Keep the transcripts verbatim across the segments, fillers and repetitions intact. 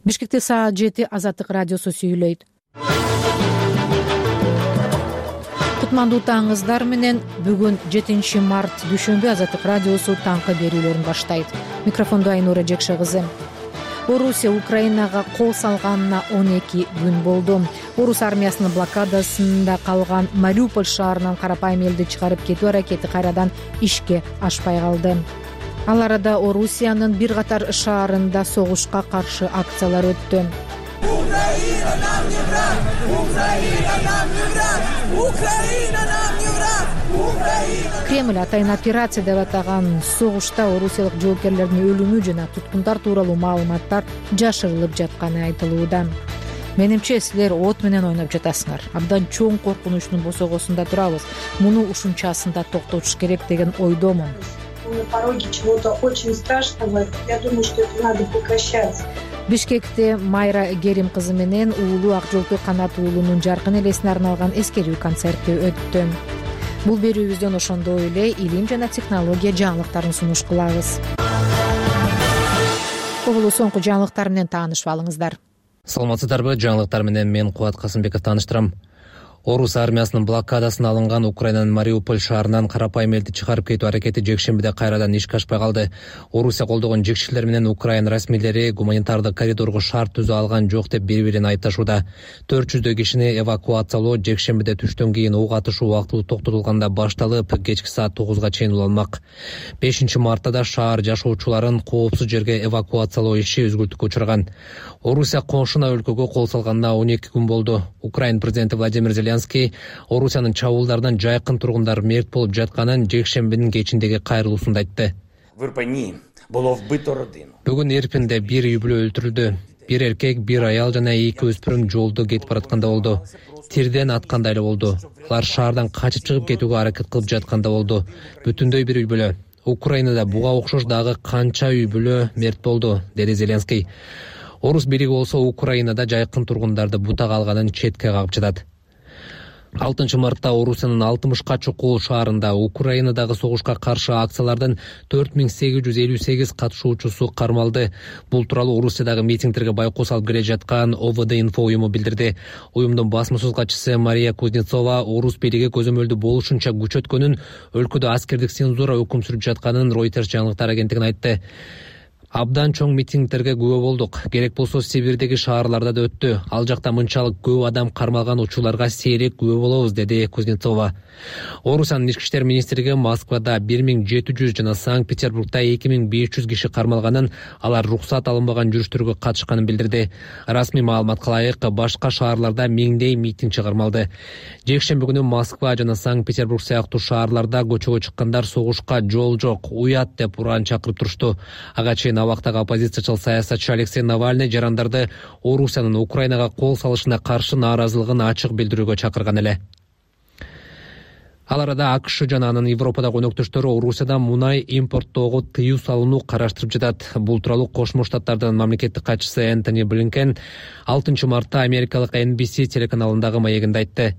Бишкекте саат жети Азаттык радиосу сүйлөйт. Кутмандуу таңыңыздар менен. Бүгүн жетинчи март дүйшөмбү Азаттык радиосу таңкы берүүлөрүн баштайт. Микрофондо Айнура Жекше кызы. Орусия Украинага кол салганына он эки күн болду. Орус армиясынын блокадасында калган Мариуполь шаарынан карапайым элди чыгарып кетүү аракети кайрадан ишке ашпай калды. Ал арада Орусиянын бир катар шаарында согушка каршы акциялар өттү. Украина нам не враг! Украина нам не враг! Украина нам не враг! Украина! Кремль атайын операция деп атаган согушта орусиялык жоокерлердин өлүмү жана туткундар тууралуу маалыматтар жашырылып жатканы айтылууда. Менимче силер от менен ойноп жатасыңар. Абдан чоң коркунучтун босогосунда турабыз. Муну ушунчасында токтотуш керек деген ойдомун. На пороге чего-то очень страшного. Я думаю, что это надо прекращать. Бишкекте Майра Герим кызы менен уулу Ак жолту Канат уулунун жаркын элесине арналган эскерүү концерти өттү. Бул берүүбүздөн ошондой эле илим жана технология жаңылыктарын сунуш кылабыз. Кобулу соңку жаңылыктар менен таанышып алыңыздар. Саламатсыздарбы? Жаңылыктар менен мен Кубат Касымбеков тааныштырам. Орус армиясынын блокадасына алынган Украинанын Мариуполь шаарынан карапайым элди чыгарып кетүү аракети жекшембиде кайрадан ишке ашпай калды. Орусия колдогон жекчилер менен Украин расмийлери гуманитардык коридорго шарт түзө алган жок деп бири-бирин айтышууда. төрт жүздөй кишини эвакуациялоо жекшембиде түштөн кийин ок атышуу убактылуу токтотулганда башталып, кечки саат тогузга чейин уланмак. бешинчи мартта шаар жашоочуларын коопсуз жерге эвакуациялоо иши үзгүлтүккө учураган. Орусия коңшуна өлкөгө кол салганына он эки күн болду. Украин президенти Владимир Зеленский Орусиянын чабуулдарынан жайкын тургундар мерт болуп жатканын жекшембинин кечиндеги кайрылуусунда айтты. Бүгүн Ирпинде бир үй бүлө өлтүрүлдү. Бир эркек, бир аял жана эки өспүрүм жолдо кетип баратканда болду. Тирден аткандай эле болду. Алар шаардан качып чыгып кетүүгө аракет кылып жатканда болду. Бүтүндөй бир үй бүлө. Украинада буга окшош дагы канча үй бүлө мерт болду, деди Зеленский. Орус бириги болсо Украинада жайкын тургундарды бутак алганын четке кагып жатат. алтынчы мартта Орусиянын алтымышка чукул шаарында Украинадагы согушка каршы акциялардын төрт миң сегиз жүз элүү сегиз катышуучусу кармалды. Бул тууралуу Орусиядагы митингдерге байкоо салып келе жаткан О В Д Инфо уюму билдирди. Уюмдун басма-сөз катчысы Мария Кузнецова Орус бириги көзөмөлдү болушунча күч өткөнүн, өлкөдө аскердик цензура өкүм сүрүп жатканын Reuters жаңылыктар агенттигине айтты. Абдан чоң митингдерге күбө болдук. Керек болсо Сибирдеги шаарларда да өттү. Ал жакта мынчалык көп адам кармалган учурларга сейрек күбө болобуз, деди Кузнецова. Орусиянын ички иштер министрлиги Москвада бир миң жети жүз жана Санкт-Петербургда эки миң беш жүз киши кармалганын, алар уруксат алынбаган жүрүштөргө катышканын билдирди. Расмий маалыматка ылайык, башка шаарларда миңдей митингчи кармалды. Жекшемби күнү Москва жана Санкт-Петербург сыяктуу шаарларда көчөгө чыккандар согушка жол жок, уят деп уран чакырып турушту. Ага чейин абактагы оппозициячыл саясатчы Алексей Навальный жарандарды Орусиянын Украинага кол салышына каршы нааразылыгын ачык билдирүүгө чакырган эле. Ал арада АКШ жана анын Европадагы өнөктөштөрү Орусиядан мунай импорттоого тыюу салууну караштырып жатат. Бул тууралуу Кошмо Штаттардын мамлекеттик катчысы Энтони Блинкен алтынчы мартта америкалык Эн Би Си телеканалындагы маегинде айтты.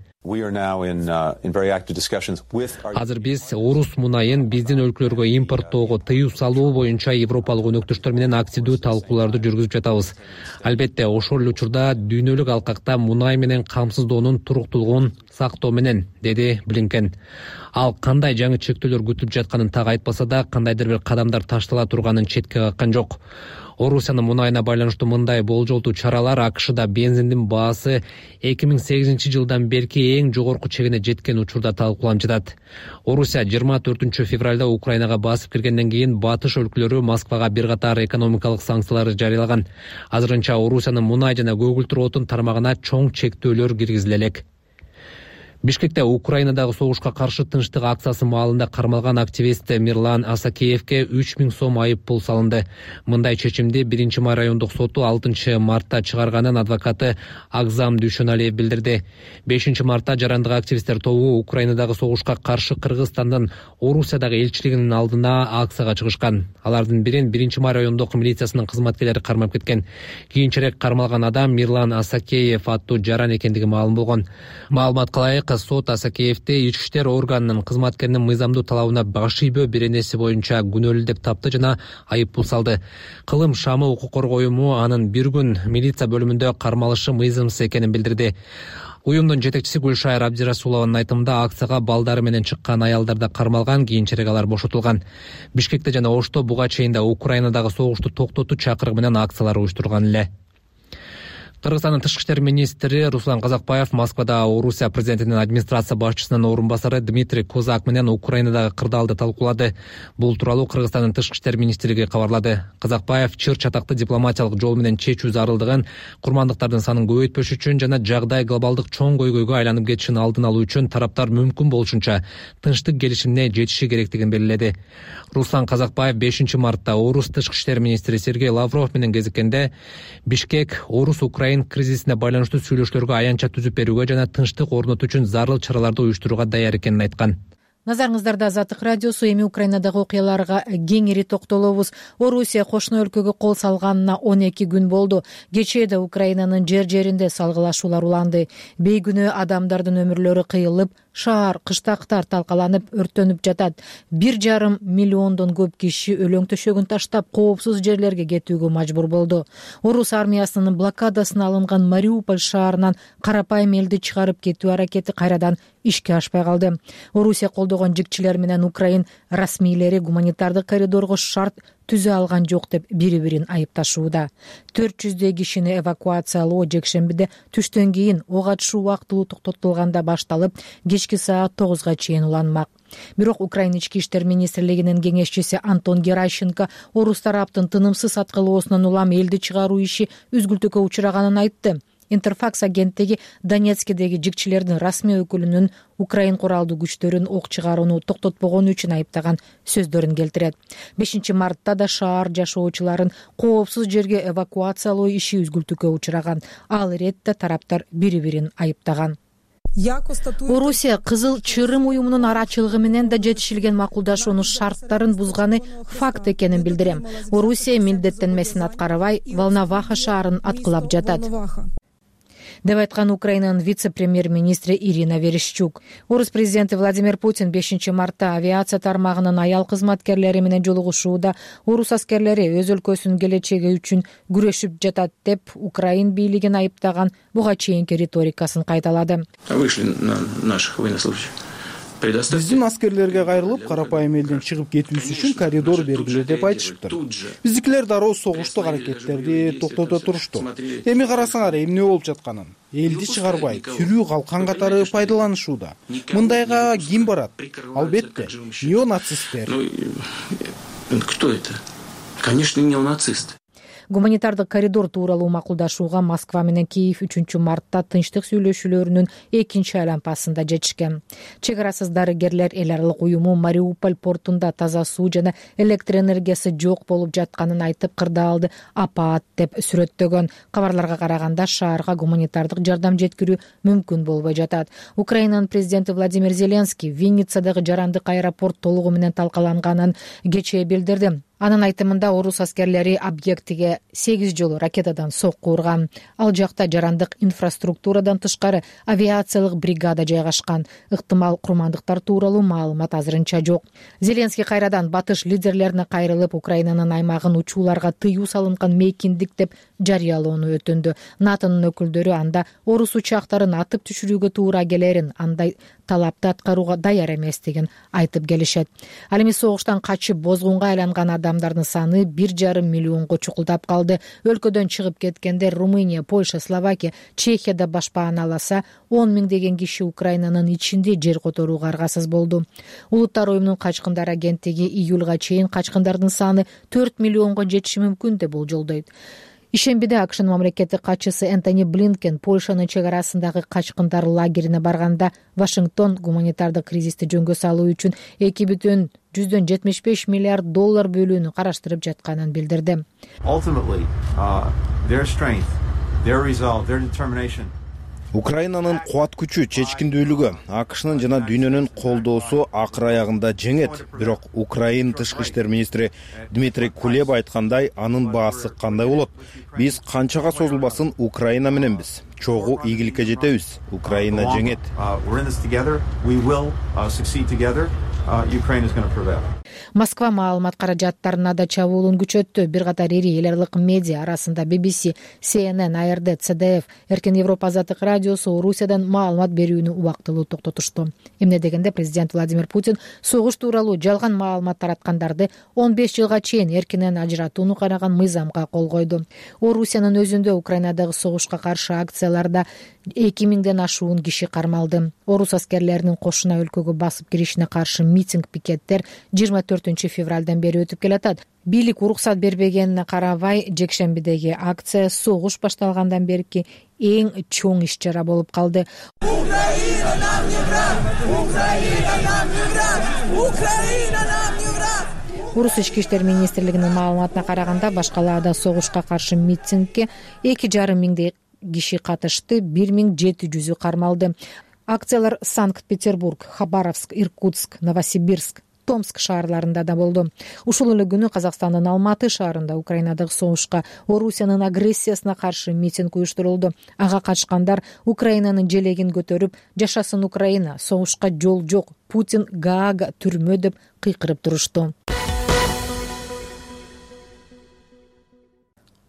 Азыр биз орус мунайын биздин өлкөлөргө импорттоого тыюу салуу боюнча европалык өнөктөштөр менен активдүү талкууларды жүргүзүп жатабыз. Албетте, ошол эле учурда дүйнөлүк алкакта мунай менен камсыздоонун туруктуулугун сактоо менен, деди Блинкен. Ал кандай жаңы чектөөлөр күтүлүп жатканын так айтпаса да, кандайдыр бир кадамдар таштала турганын четке каккан жок. Орусиянын мунайына байланыштуу мындай болжолдуу чаралар АКШда бензиндин баасы эки миң сегизинчи жылдан берки эң жогорку чегине жеткен учурда талкууланып жатат. Орусия жыйырма төртүнчү февралда Украинага басып киргенден кийин батыш өлкөлөрү Москвага бир катар экономикалык санкциялар жарыялаган. Азырынча Орусиянын мунай жана көгүлтүр отун тармагына чоң чектөөлөр киргизиле элек. Бишкекте Украинадагы согушка каршы тынчтык акциясы маалында кармалган активист Мирлан Асакеевке үч миң сом айып пул салынды. Мындай чечимди биринчи май райондук соту алтынчы мартта чыгарганын адвокаты Агзам Дүйшөналиев билдирди. бешинчи мартта жарандык активисттер тобу Украинадагы согушка каршы Кыргызстандын Орусиядагы элчилигинин алдына акцияга чыгышкан. Алардын бирин биринчи май райондук милициясынын кызматкерлери кармап кеткен. Кийинчерээк кармалган адам Мирлан Асакеев аттуу жаран экендиги маалым болгон. Маалыматка ылайык, Минска сот Асакеевди ички иштер органынын кызматкеринин мыйзамдуу талабына баш ийбөө беренеси боюнча күнөөлүү деп тапты жана айып пул салды. Кылым шамы укук коргоо уюму анын бир күн милиция бөлүмүндө кармалышы мыйзамсыз экенин билдирди. Уюмдун жетекчиси Гүлшайыр Абдирасулованын айтымында акцияга балдары менен чыккан аялдар да кармалган, кийинчерээк алар бошотулган. Бишкекте жана Ошто буга чейин да Украинадагы согушту токтотуу чакырыгы менен акциялар уюштурган эле. Кыргызстандын тышкы иштер министри Руслан Казакбаев Москвада Орусия президентинин администрация башчысынын орун басары Дмитрий Козак менен Украинадагы кырдаалды талкуулады. Бул тууралуу Кыргызстандын тышкы иштер министрлиги кабарлады. Казакбаев чыр чатакты дипломатиялык жол менен чечүү зарылдыгын, курмандыктардын санын көбөйтпөш үчүн жана жагдай глобалдык чоң көйгөйгө айланып кетишин алдын алуу үчүн тараптар мүмкүн болушунча тынчтык келишимине жетиши керектигин белгиледи. Руслан Казакбаев бешинчи мартта Орус тышкы иштер министри Сергей Лавров менен кезиккенде Бишкек Орус Украин кризисине байланыштуу сүйлөшүүлөргө аянтча түзүп берүүгө жана тынчтык орнотуу үчүн зарыл чараларды уюштурууга даяр экенин айткан. Назарыңыздарда Азаттык радиосу. Эми Украинадагы окуяларга кеңири токтолобуз. Орусия кошуна өлкөгө кол салганына он эки күн болду. Кечээде Украинанын жер-жеринде салгылашуулар уланды. Бейгүнөө адамдардын өмүрлөрү кыйылып, шаар, кыштактар талкаланып, өрттөнүп жатат. Бир жарым миллиондон көп киши өлөң төшөгүн таштап, коопсуз жерлерге кетүүгө мажбур болду. Орус армиясынын блокадасына алынган Мариуполь шаарынан карапайым элди чыгарып кетүү аракети кайрадан ишке ашпай калды. Орусия колдогон жигчилер менен Украин расмийлери гуманитардык коридорго шарт түзө алган жок деп бири-бирин айыпташууда. төрт жүздөй кишини эвакуациялоо жекшембиде түштөн кийин ок атышуу убактылуу токтотулганда башталып, кечки саат тогузга чейин уланмак. Бирок Украина ички иштер министрлигинин кеңешчиси Антон Геращенко орус тараптын тынымсыз аткылоосунан улам элди чыгаруу иши үзгүлтүккө учураганын айтты. Интерфакс агенттиги Донецкидеги жигчилердин расмий өкүлүнүн Украин куралдуу күчтөрүн ок чыгарууну токтотпогону үчүн айыптаган сөздөрүн келтирет. бешинчи мартта да шаар жашоочуларын коопсуз жерге эвакуациялоо иши үзгүлтүккө учураган. Ал иретте тараптар бири-бирин айыптаган. Орусия Кызыл Чырым уюмунун арачылыгы менен да жетишилген макулдашуунун шарттарын бузганы факт экенин билдирем. Орусия милдеттенмесин аткарбай, Волноваха шаарын аткылап жатат деп айткан Украинанын вице-премьер-министри Ирина Верещук. Орус президенти Владимир Путин бешинчи мартта авиация тармагынын аял кызматкерлери менен жолугушууда орус аскерлери өз өлкөсүнүн келечеги үчүн күрөшүп жатат деп Украин бийлигин айыптаган, буга чейинки риторикасын кайталады. Вышли на наших военнослужащих. Биздин аскерлерге кайрылып, карапайым элден чыгып кетүүсү үчүн коридор бергиле деп айтышыптыр. Биздикилер дароо согуштук аракеттерди токтото турушту. Эми карасаңар эмне болуп жатканын. Элди чыгарбай, сүрүү калкан катары пайдаланышууда. Мындайга ким барат? Албетте, неонацисттер. Кто это? Конечно, неонацисты. Гуманитардык коридор тууралуу макулдашууга Москва менен Киев үчүнчү мартта тынчтык сүйлөшүүлөрүнүн экинчи айланпасында жетишкен. Чек арасыз дарыгерлер эл аралык уюму Мариуполь портунда таза суу жана электр энергиясы жок болуп жатканын айтып, кырдаалды апаат деп сүрөттөгөн. Кабарларга караганда шаарга гуманитардык жардам жеткирүү мүмкүн болбой жатат. Украинанын президенти Владимир Зеленский Винницадагы жарандык аэропорт толугу менен талкаланганын кечээ билдирди. Анын айтымында орус аскерлери объектиге сегиз жолу ракетадан сокку урган. Ал жакта жарандык инфраструктурадан тышкары авиациялык бригада жайгашкан. Ыктымал курмандыктар тууралуу маалымат азырынча жок. Зеленский кайрадан батыш лидерлерине кайрылып, Украинанын аймагын учууларга тыюу салынган мейкиндик деп жарыялоону өтүндү. НАТОнун өкүлдөрү анда орус учактарын атып түшүрүүгө туура келерин, андай талапты аткарууга даяр эместигин айтып келишет. Ал эми согуштан качып бозгунга айланган адамдардын саны бир жарым миллионго чукулдап калды. Өлкөдөн чыгып кеткендер Румыния, Польша, Словакия, Чехияда башпааналаса, он миңдеген киши Украинанын ичинде жер которууга аргасыз болду. Улуттар уюмунун качкындар агенттиги июлга чейин качкындардын саны төрт миллионго жетиши мүмкүн деп болжолдойт. Ишембиде АКШнын мамлекеттик катчысы Энтони Блинкен Польшанын чек арасындагы качкындар лагерине барганда Вашингтон гуманитардык кризисти жөнгө салуу үчүн эки бүтүн жүздөн жетимиш беш миллиард доллар бөлүүнү караштырып жатканын билдирди. Украинанын кубат күчү, чечкиндүүлүгү, АКШнын жана дүйнөнүн колдоосу акыр аягында жеңет. Бирок Украин тышкы иштер министри Дмитрий Кулеба айткандай, анын баасы кандай болот? Биз канчага созулбасын Украина мененбиз. Чогуу ийгиликке жетебиз. Украина жеңет. Москва маалымат каражаттарына да чабуулун күчөттү. Бир катар ири эл аралык медиа арасында би би си, си эн эн, а эр дэ, цэ дэ эф, Эркин Европа азаттык радиосу Орусиядан маалымат берүүнү убактылуу токтотушту. Эмне дегенде президент Владимир Путин согуш тууралуу жалган маалымат тараткандарды он беш жылга чейин эркинен ажыратууну караган мыйзамга кол койду. Орусиянын өзүндө Украинадагы согушка каршы акцияларда эки миңден ашуун киши кармалды. Орус аскерлеринин кошуна өлкөгө басып киришине каршы митинг, пикеттер жыйырма төртүнчү февралдан бери өтүп келатат. Бийлик уруксат бербегенине карабай, жекшембидеги акция согуш башталгандан берки эң чоң иш чара болуп калды. Украина нам не враг! Украина нам не враг! Украина нам не враг! Орус ички иштер министрлигинин маалыматына караганда, башкалаада согушка каршы митингге эки жарым миңдей киши катышты, бир миң жети жүзү кармалды. Акциялар Санкт-Петербург, Хабаровск, Иркутск, Новосибирск, Томск шаарларында да болду. Ушул эле күнү Казакстандын Алматы шаарында Украинадагы согушка, Орусиянын агрессиясына каршы митинг уюштурулду. Ага катышкандар Украинанын желегин көтөрүп, жашасын Украина, согушка жол жок, Путин Гаага түрмө деп кыйкырып турушту.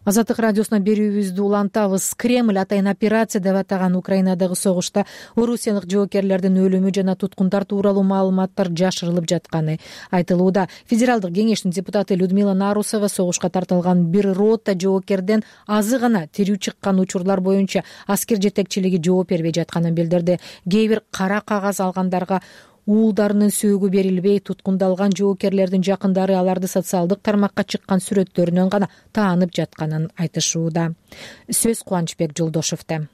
Азаттык радиосуна берүүбүздү улантабыз. Кремль атайын операция деп атаган Украинадагы согушта орусиялык жоокерлердин өлүмү жана туткундар тууралуу маалыматтар жашырылып жатканы айтылууда. Федералдык кеңештин депутаты Людмила Нарусова согушка тартылган бир рота жоокерден азы гана тирүү чыккан учурлар боюнча аскер жетекчилиги жооп бербей жатканын билдирди. Кээ бир кара кагаз алгандарга уулдарынын сөөгү берилбей, туткундалган жоокерлердин жакындары аларды социалдык тармакка чыккан сүрөттөрүнөн гана таанып жатканын айтышууда. Сөз Кубанычбек Жолдошевде.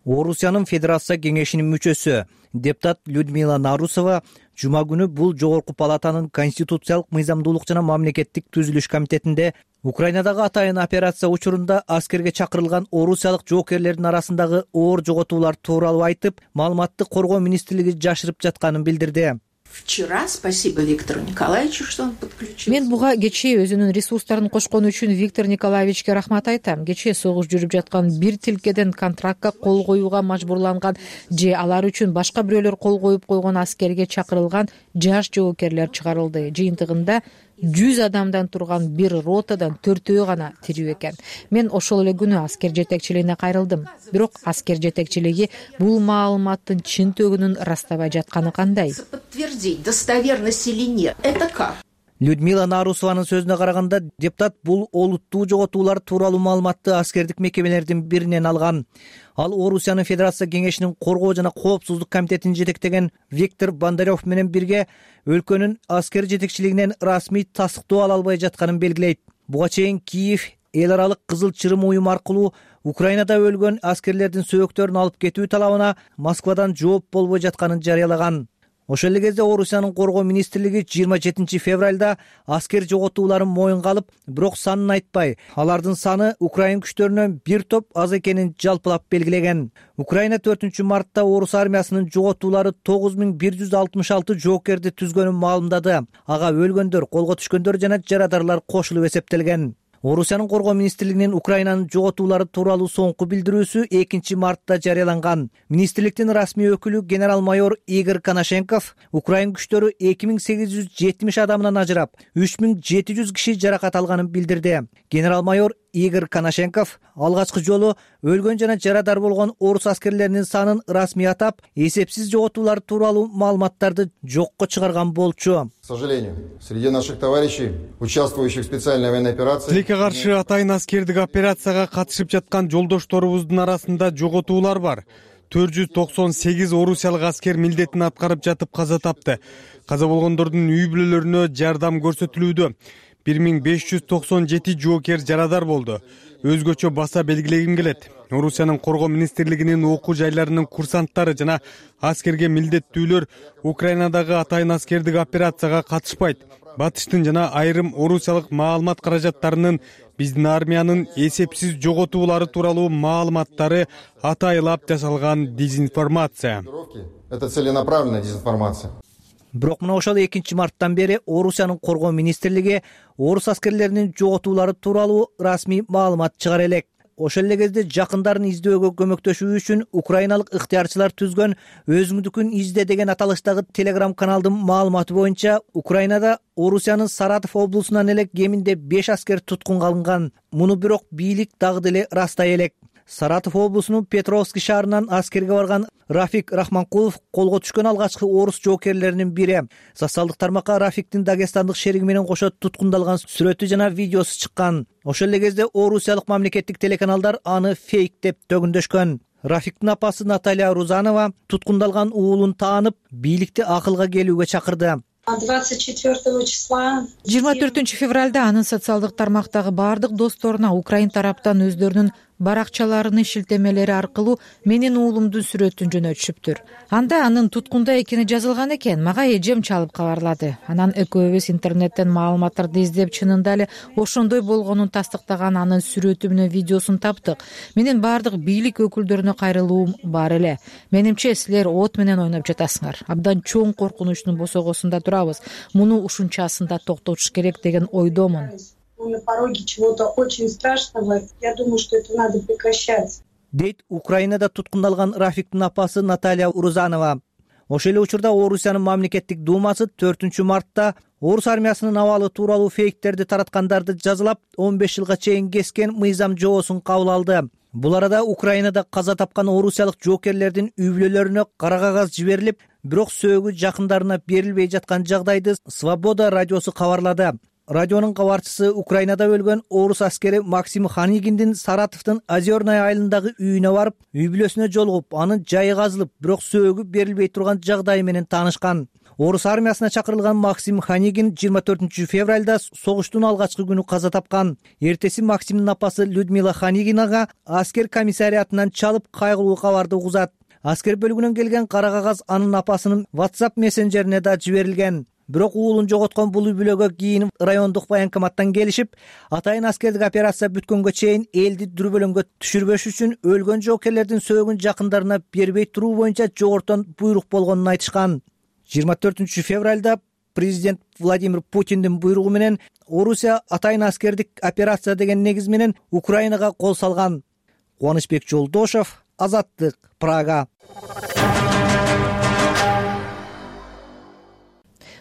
Орусиянын Федерация кеңешинин мүчөсү депутат Людмила Нарусова жума күнү бул жогорку палатанын конституциялык мыйзамдуулук жана мамлекеттик түзүлүш комитетинде Украинадагы атайын операция учурунда аскерге чакырылган орусиялык жоокерлердин арасындагы оор жоготуулар тууралуу айтып, маалыматты коргоо министрлиги жашырып жатканын билдирди. Вчера спасибо Виктору Николаевичу, что он подключился. Мен буга кечээ өзүнүн ресурстарын кошкону үчүн Виктор Николаевичке рахмат айтам. Кечээ согуш жүрүп жаткан бир тилкеден контрактка кол коюуга мажбурланган же алар үчүн башка бирөөлөр кол коюп койгон аскерге чакырылган жаш жоокерлер чыгарылды. Жыйынтыгында жүз адамдан турган бир ротадан төртөө гана тирүү экен. Мен ошол эле күнү аскер жетекчилигине кайрылдым. Бирок аскер жетекчилиги бул маалыматтын чын-төгүнүн ырастабай жатканы кандай? Подтвердить достоверность или нет, это как? Людмила Нарусованын сөзүнө караганда, депутат бул олуттуу жоготуулар тууралуу маалыматты аскердик мекемелердин биринен алган. Ал Орусиянын Федерация кеңешинин коргоо жана коопсуздук комитетин жетектеген Виктор Бондарев менен бирге өлкөнүн аскер жетекчилигинен расмий тастыктоо ала албай жатканын белгилейт. Буга чейин Киев эл аралык Кызыл Чырым уюму аркылуу Украинада өлгөн аскерлердин сөөктөрүн алып кетүү талабына Москвадан жооп болбой жатканын жарыялаган. Ошол эле кезде Орусиянын коргоо министрлиги жыйырма жетинчи февралда аскер жоготууларын моюнга алып, бирок санын айтпай, алардын саны Украин күчтөрүнөн бир топ аз экенин жалпылап белгилеген. Украина төртүнчү мартта орус армиясынын жоготуулары тогуз миң бир жүз алтымыш алты жоокерди түзгөнүн маалымдады. Ага өлгөндөр, колго түшкөндөр жана жарадарлар кошулуп эсептелген. Орусиянын коргоо министрлигинин Украинанын жоготуулары тууралуу соңку билдирүүсү экинчи мартта жарыяланган. Министрликтин расмий өкүлү генерал-майор Игорь Коношенков Украин күчтөрү эки миң сегиз жүз жетимиш адамдан ажырап, үч миң жети жүз киши жаракат алганын билдирди. Генерал-майор Игорь Коношенков алгачкы жолу өлгөн жана жарадар болгон орус аскерлеринин санын расмий атап, эсепсиз жоготуулар тууралуу маалыматтарды жокко чыгарган болчу. К сожалению, среди наших товарищей, участвующих в специальной военной операции, тилекке каршы атайын аскердик операцияга катышып жаткан жолдошторубуздун арасында жоготуулар бар. төрт жүз токсон сегиз орусиялык аскер милдетин аткарып жатып каза тапты. Каза болгондордун үй бүлөлөрүнө жардам көрсөтүлүүдө. бир миң беш жүз токсон жети жоокер жарадар болду. Өзгөчө баса белгилегим келет. Орусиянын коргоо министрлигинин окуу жайларынын курсанттары жана аскерге милдеттүүлөр Украинадагы атайын аскердик операцияга катышпайт. Батыштын жана айрым орусиялык маалымат каражаттарынын биздин армиянын эсепсиз жоготуулары тууралуу маалыматтары атайлап жасалган дезинформация. Это целенаправленная дезинформация. Бирок мына ошол экинчи марттан бери Орусиянын коргоо министрлиги орус аскерлеринин жоготуулары тууралуу расмий маалымат чыгара элек. Ошол эле кезде жакындарын издөөгө көмөктөшүү үчүн украиналык ыктыярчылар түзгөн өзүңдүкүн изде деген аталыштагы телеграм каналдын маалыматы боюнча Украинада Орусиянын Саратов облусунан эле кеминде беш аскер туткунга алынган. Муну бирок бийлик дагы деле ырастай элек. Саратов облусунун Петровский шаарынан аскерге барган Рафик Рахманкулов колго түшкөн алгачкы орус жоокерлеринин бири. Социалдык тармакка Рафиктин дагестандык шериги менен кошо туткундалган сүрөтү жана видеосу чыккан. Ошол эле кезде орусиялык мамлекеттик телеканалдар аны фейк деп төгүндөшкөн. Рафиктин апасы Наталья Рузанова туткундалган уулун таанып, бийликти акылга келүүгө чакырды. двадцать четвёртого числа жыйырма төртүнчү февралда анын социалдык тармактагы баардык досторуна Украин тараптан өздөрүнүн баракчаларынын шилтемелери аркылуу менин уулумдун сүрөтүн жөнөтүшүптүр. Анда анын туткунда экени жазылган экен. Мага эжем чалып кабарлады. Анан экөөбүз интернеттен маалыматтарды издеп, чынында эле ошондой болгонун тастыктаган анын сүрөтү менен видеосун таптык. Менин баардык бийлик өкүлдөрүнө кайрылуум бар эле. Менимче силер от менен ойноп жатасыңар. Абдан чоң коркунучтун босогосунда турабыз. Муну ушунчасында токтотуш керек деген ойдомун. Мы на пороге чего-то очень страшного. Я думаю, что это надо прекращать. Дейт Украинада туткундалган Рафиктин апасы Наталья Рузанова. Ошол эле учурда Орусиянын мамлекеттик думасы төртүнчү мартта орус армиясынын абалы тууралуу фейктерди тараткандарды жазалап он беш жылга чейин кескен мыйзам жобосун кабыл алды. Бул арада Украинада каза тапкан орусиялык жоокерлердин үй бүлөлөрүнө кара кагаз жиберилип, бирок сөөгү жакындарына берилбей жаткан жагдайды Свобода радиосу кабарлады. Радионун кабарчысы Украинада өлгөн орус аскери Максим Ханигиндин Саратовдун Озерная айылындагы үйүнө барып, үй бүлөсүнө жолугуп, анын жайы казылып, бирок сөөгү берилбей турган жагдайы менен таанышкан. Орус армиясына чакырылган Максим Ханигин жыйырма төртүнчү февралда согуштун алгачкы күнү каза тапкан. Эртеси Максимдин апасы Людмила Ханигинага аскер комиссариатынан чалып кайгылуу кабарды угузат. Аскер бөлүгүнөн келген кара кагаз анын апасынын WhatsApp мессенджерине да жиберилген. Бирок уулун жоготкон бул үй бүлөгө кийин райондук военкоматтан келишип, атайын аскердик операция бүткөнгө чейин элди дүрбөлөңгө түшүрбөш үчүн өлгөн жоокерлердин сөөгүн жакындарына бербей туруу боюнча жогортон буйрук болгонун айтышкан. жыйырма төртүнчү февралда президент Владимир Путиндин буйругу менен Орусия атайын аскердик операция деген негиз менен Украинага кол салган. Кубанычбек Жолдошов, Азаттык, Прага.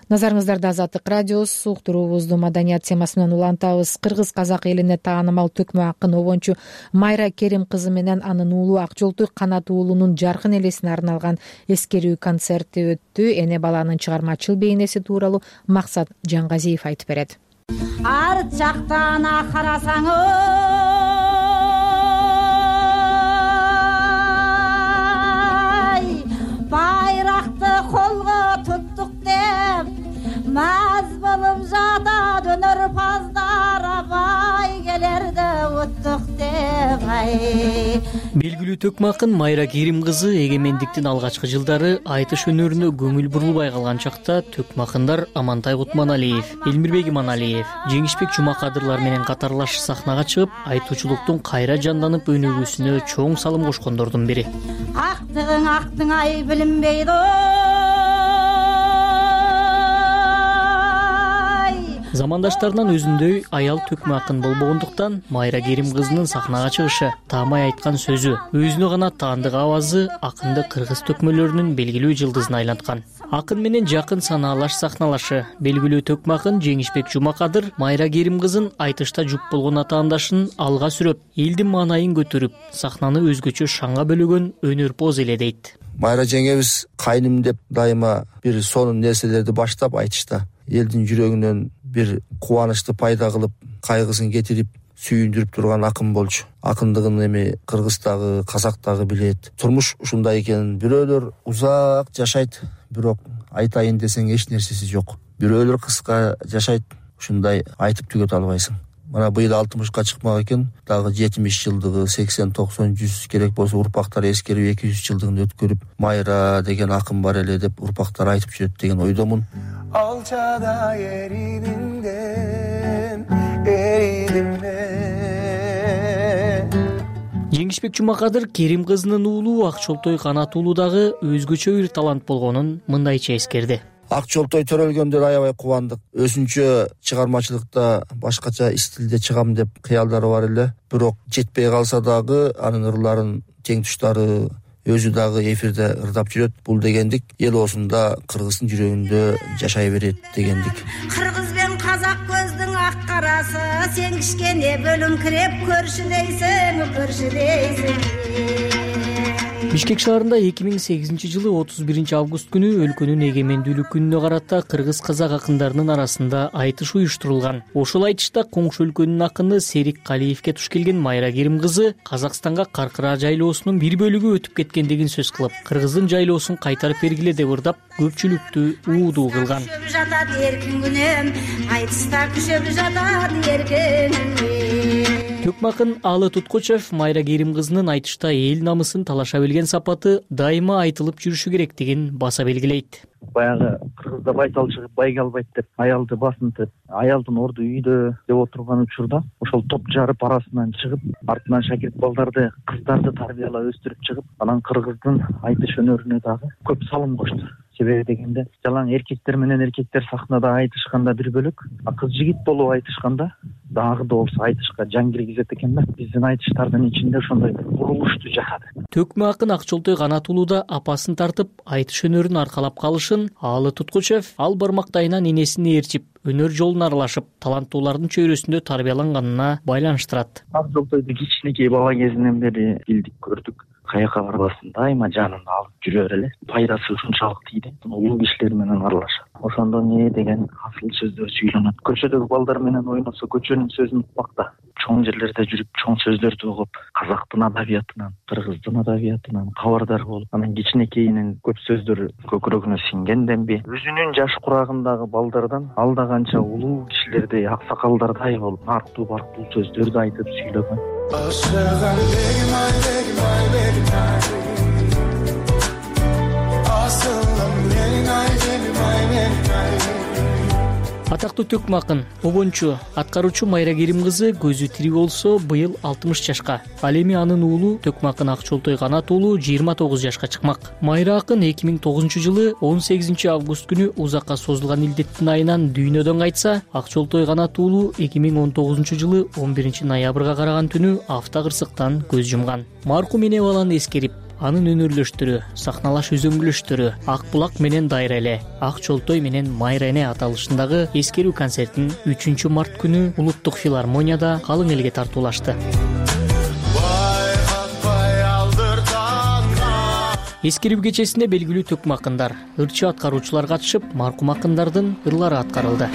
Назарыңыздарда Азаттык радиосу, уктуруубузду маданият темасы менен улантабыз. Кыргыз казак элине таанымал төкмө акын обончу Майра Керим кызы менен анын уулу Акжолтуй Канат уулунун жаркын элесине арналган эскерүү концерти өттү. Эне баланын чыгармачыл бейнеси тууралуу Максат Жангазиев айтып берет. Арт жактан карасаң байракты колго туттук деп маз болуп жата дөнөр паздар абай келерде уттук деп ай. Белгилүү төкмө акын Майра Керим кызы эгемендиктин алгачкы жылдары айтыш өнөрүнө көңүл бурулбай калган чакта төкмө акындар Амантай Кутманалиев, Элмирбек Иманалиев, Жеңишбек Жумакадырлар менен катарлаш сахнага чыгып, айтуучулуктун кайра жанданып өнүгүүсүнө чоң салым кошкондордун бири. Актыгың актың ай билинбейди. Замандаштарынан өзүндөй аял төкмө акын болбогондуктан Майра Керим кызынын сахнага чыгышы, таамай айткан сөзү, өзүнө гана таандык авазы акынды кыргыз төкмөлөрүнүн белгилүү жылдызына айланткан. Акын менен жакын санаалаш сахналашы, белгилүү төкмө акын Жеңишбек Жумакадыр Майра Керим кызын айтышта жуп болгон атаандашын алга сүрөп, элдин маанайын көтөрүп, сахнаны өзгөчө шаңга бөлөгөн өнөрпоз эле дейт. Майра жеңебиз кайным деп дайыма бир сонун нерселерди баштап айтышта элдин жүрөгүнөн бир кубанычты пайда кылып, кайгысын кетирип, сүйүндүрүп турган акын болчу. Акындыгын эми Кыргыздагы, Казактагы билет. Турмуш ушундай экенин, бирөөлөр узак жашайт, бирок айтайын десең эч нерсеси жок. Бирөөлөр кыска жашайт, ушундай айтып түгөтө албайсың. Мана быйыл алтымышка чыкмак экен, дагы жетимиш жылдыгы, сексен, токсон, жүз керек болсо урпактар эскерип эки жүз жылдыгын өткөрүп, Майра деген акын бар эле деп урпактар айтып жүрөт деген ойдомун. Алчада эридиңден, эридим мен. Жеңишбек Жумакадыр Керим кызынын уулу Акчолтой Канат уулу дагы өзгөчө бир талант болгонун мындайча эскерди. Акчолтой төрөлгөндө аябай кубандык. Өзүнчө чыгармачылыкта башкача стилде чыгам деп кыялдары бар эле. Бирок жетпей калса дагы анын ырларын тең туштары өзү дагы эфирде ырдап жүрөт. Бул дегендик эл осунда кыргыздын жүрөгүндө жашай берет дегендик. Кыргыз бен казак көздүн ак карасы, сен кичкене бөлүңкүрөп көрчү дейсиң, көрчү дейсиң. Бишкек шаарында эки миң сегизинчи жылы отуз биринчи август күнү өлкөнүн эгемендүүлүк күнүнө карата кыргыз казак акындарынын арасында айтыш уюштурулган. Ошол айтышта коңшу өлкөнүн акыны Серик Калиевке туш келген Майра Керим кызы Казакстанга Каркыра жайлоосунун бир бөлүгү өтүп кеткендигин сөз кылып, кыргыздын жайлоосун кайтарып бергиле деп ырдап, көпчүлүктү уудуу кылган. Жатат эркин күнөм, айтыста күшөп жатат эркин күнөм. Төкмакын Алы Туткучев Майра Керим кызынын айтышта эл намысын талаша билген сапаты дайыма айтылып жүрүшү керектигин баса белгилейт. Баягы кыргызда байтал чыгып байга албайт деп аялды басынтып, аялдын орду үйдө деп отурган учурда ошол топ жарып арасынан чыгып, артынан шакирт балдарды, кыздарды тарбиялап өстүрүп чыгып, анан кыргыздын айтыш өнөрүнө дагы көп салым кошту. Себеби дегенде, жалаң эркектер менен эркектер сахнада айтышканда бир бөлөк, а кыз жигит болуп айтышканда дагы да болсо айтышка жан киргизет экен да. Биздин айтыштардын ичинде ошондой бурулушту жашады. Төкмө акын Акчолтой Канат уулу да апасын тартып, айтыш өнөрүн аркалап калышын Алы Туткучев ал бармактайынан энесин ээрчип, өнөр жолуна аралашып, таланттуулардын чөйрөсүндө тарбияланганына байланыштырат. Акчолтойду кичинекей бала кезинен бери билдик, көрдүк. Каяка барбасын дайыма жанында алып жүрөр эле. Пайдасы ушунчалык тийди. Улуу кишилер менен аралашат. Ошондо не деген асыл сөздөр сүйлөнөт. Көчөдөгү балдар менен ойносо көчөнүн сөзүн укмакта. Чоң жерлерде жүрүп, чоң сөздөрдү угуп, казактын адабиятынан, кыргыздын адабиятынан кабардар болуп, анан кичинекейинин көп сөздөрү көкүрөгүнө сиңгенденби, өзүнүн жаш курагындагы балдардан алда канча улуу кишилердей, аксакалдардай болуп, арктуу барктуу сөздөрдү айтып сүйлөгөн. Ашыган бегим ай, бегим ай, бегим ай. Асылым менин ай, бегим ай, бегим ай. Атактуу төкмө акын, обончу, аткаруучу Майра Керим кызы көзү тирик болсо быйыл алтымыш жашка. Ал эми анын уулу Төкмө акын Акчолтой Канат уулу жыйырма тогуз жашка чыкмак. Майра акын эки миң тогузунчу жылы он сегизинчи август күнү узакка созулган илдеттин айынан дүйнөдөн кайтса, Акчолтой Канат уулу эки миң он тогузунчу жылы он биринчи ноябрга караган түнү автокырсыктан көз жумган. Маркум эне баланы эскерип, анын өнөрлөштөрү, сахналаш үзөңгүлөштөрү Ак булак менен Дайра эле, Акчолтой менен Майра эне аталышындагы эскерүү концертин үчүнчү март күнү Улуттук филармонияда калың элге тартуулашты. Эскерүү кечесинде белгилүү төкмө акындар, ырчы аткаруучулар катышып, маркум акындардын ырлары аткарылды.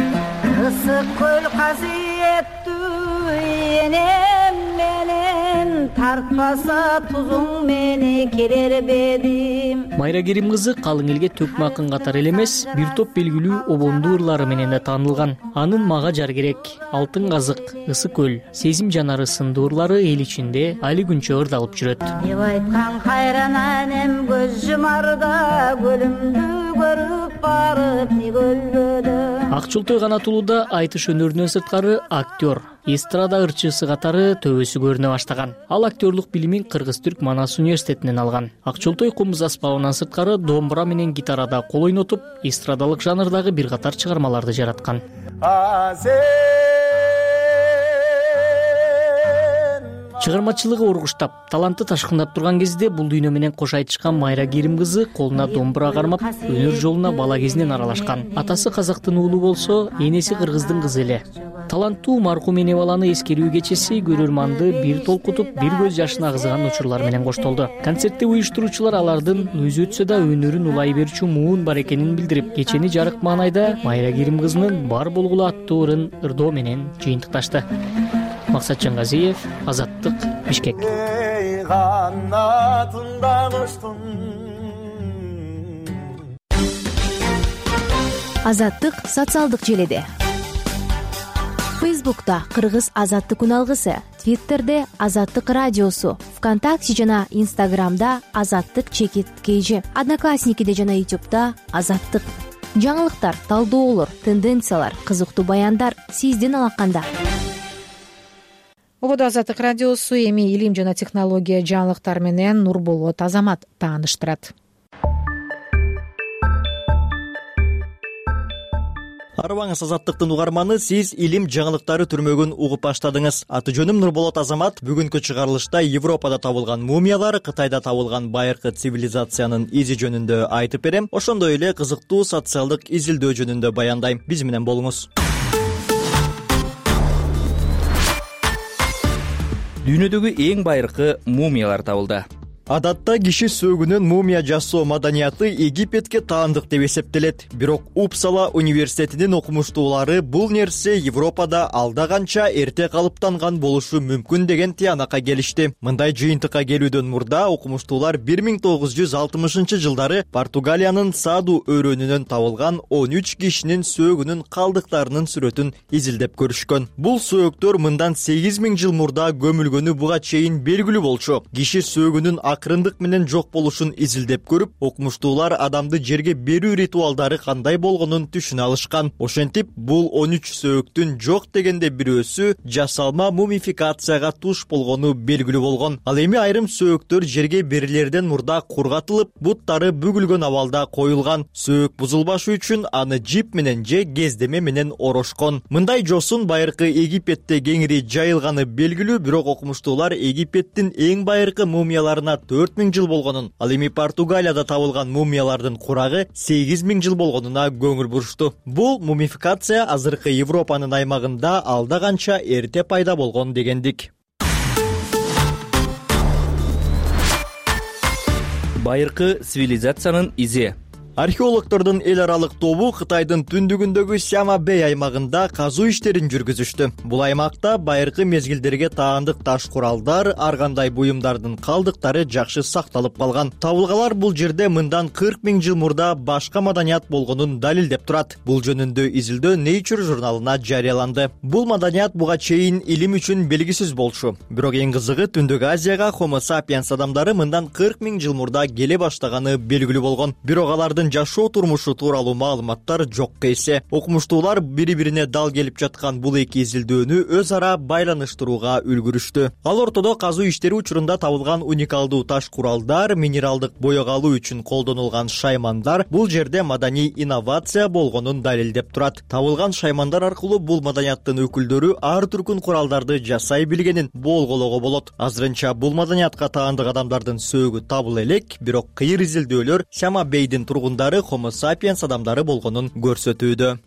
Ысык көл касиеттүү энем менен тартпаса тузуң мени келер бедим. Майра Керим кызы калың элге төкмө акын катары эле эмес, бир топ белгилүү обондуу ырлары менен да таанылган. Анын Мага жар керек, Алтын казык, Ысык көл, Сезим жанары сындуу ырлары эл ичинде али күнчө ырдалып жүрөт. Деп айткан кайран анем көз жумарда, көлүмдү көрүп барып не көлбөдө. Акчолтой Канат уулу да айтыш өнөрүнөн сырткары актер, эстрада ырчысы катары төбөсү көрүнө баштаган. Ал актерлук билимин Кыргыз-Түрк Манас университетинен алган. Акчолтой комуз аспабынан сырткары домбура менен гитарада кол ойнотуп, эстрадалык жанрдагы бир катар чыгармаларды жараткан. Чыгармачылыгы ургуштап, таланты ташкындап турган кезде бул дүйнө менен кош айтышкан Майра Керим кызы колуна домбура кармап, өнөр жолуна бала кезинен аралашкан. Атасы казактын уулу болсо, энеси кыргыздын кызы эле. Таланттуу маркум эне баланы эскерүү кечеси көрөрманды бир толкутуп, бир көз жашын агызган учурлар менен коштолду. Концертти уюштуруучулар алардын өзү өтсө да өнөрүн улай берчү муун бар экенин билдирип, кечени жарык маанайда Майра Керим кызынын бар болгулу аттуу ырын ырдоо менен жыйынтыкташты. Максат Жангазиев, Азаттык, Бишкек. Азаттык социалдык желеде. Фейсбукта Кыргыз Азаттык күн алгысы, Твиттерде Азаттык радиосу, ВКонтакте жана Инстаграмда Азаттык чекит кейжи, Одноклассникиде жана Ютубта Азаттык. Жаңылыктар, талдоолор, тенденциялар, кызыктуу баяндар сиздин алаканда. ободо Азаттык радиосу. Эми илим жана технология жаңылыктары менен Нурболот Азамат тааныштырат. Арыбаңыз Азаттыктын угарманы, сиз илим жаңылыктары түрмөгүн угуп баштадыңыз. Аты жөнүм Нурболот Азамат. Бүгүнкү чыгарылышта Европада табылган мумиялар, Кытайда табылган байыркы цивилизациянын изи жөнүндө айтып берем. Ошондой эле кызыктуу социалдык изилдөө жөнүндө баяндайм. Биз менен болуңуз. Дүйнөдөгү эң байыркы мумиялар табылды. Адатта киши сөөгүнөн мумия жасоо маданияты Египетке таандык деп эсептелет. Бирок Упсала университетинин окумуштуулары бул нерсе Европада алда канча эрте калыптанган болушу мүмкүн деген тыянакка келишти. Мындай жыйынтыкка келүүдөн мурда окумуштуулар бир миң тогуз жүз алтымышынчы жылдары Португалиянын Саду өрөөнүнөн табылган он үч кишинин сөөгүнүн калдыктарынын сүрөтүн изилдеп көрүшкөн. Бул сөөктөр мындан сегиз миң жыл мурда көмүлгөнү буга чейин белгилүү болчу. Киши сөөгүнүн акырындык менен жок болушун изилдеп көрүп, окумуштуулар адамды жерге берүү ритуалдары кандай болгонун түшүнө алышкан. Ошентип, бул он үч сөөктүн жок дегенде бирөөсү жасалма мумификацияга туш болгону белгилүү болгон. Ал эми айрым сөөктөр жерге берилерден мурда кургатылып, буттары бүгүлгөн абалда коюлган. Сөөк бузулбашы үчүн аны жип менен же кездеме менен орошкон. Мындай жосун байыркы Египетте кеңири жайылганы белгилүү, бирок окумуштуулар Египеттин эң байыркы мумияларына төрт миң жыл болгонун, ал эми Португалияда табылган мумиялардын курагы сегиз миң жыл болгонуна көңүл бурушту. Бул мумификация азыркы Европанын аймагында алда канча эрте пайда болгон дегендик. Байыркы цивилизациянын изи. Археологдордун эл аралык тобу Кытайдын түндүгүндөгү Сяма-Бэй аймагында казуу иштерин жүргүзүштү. Бул аймакта байыркы мезгилдерге таандык таш куралдар, ар кандай буюмдардын калдыктары жакшы сакталып калган. Табылгалар бул жерде мындан кырк миң жыл мурда башка маданият болгонун далилдеп турат. Бул жөнүндө изилдөө Nature журналына жарыяланды. Бул маданият буга чейин илим үчүн белгисиз болчу. Бирок эң кызыгы, Түндүк Азияга Homo sapiens адамдары мындан кырк миң жыл мурда келе баштаганы белгилүү болгон. Бирок алардын жашоо турмушу тууралуу маалыматтар жок эсе. Окумуштуулар бири-бирине дал келип жаткан бул эки изилдөөнү өз ара байланыштырууга үлгүрүштү. Ал ортодо казуу иштери учурунда табылган уникалдуу таш куралдар, минералдык боек алуу үчүн колдонулган шаймандар бул жерде маданий инновация болгонун далилдеп турат. Табылган шаймандар аркылуу бул маданияттын өкүлдөрү ар түркүн куралдарды жасай билгенин болгоого болот. Азырынча бул маданиятка таандык адамдардын сөөгү табыла элек, бирок кыйыр изилдөөлөр Сяма-Бэйдин тургундары Homo sapiens адамдары болгонун көрсөтүүдө.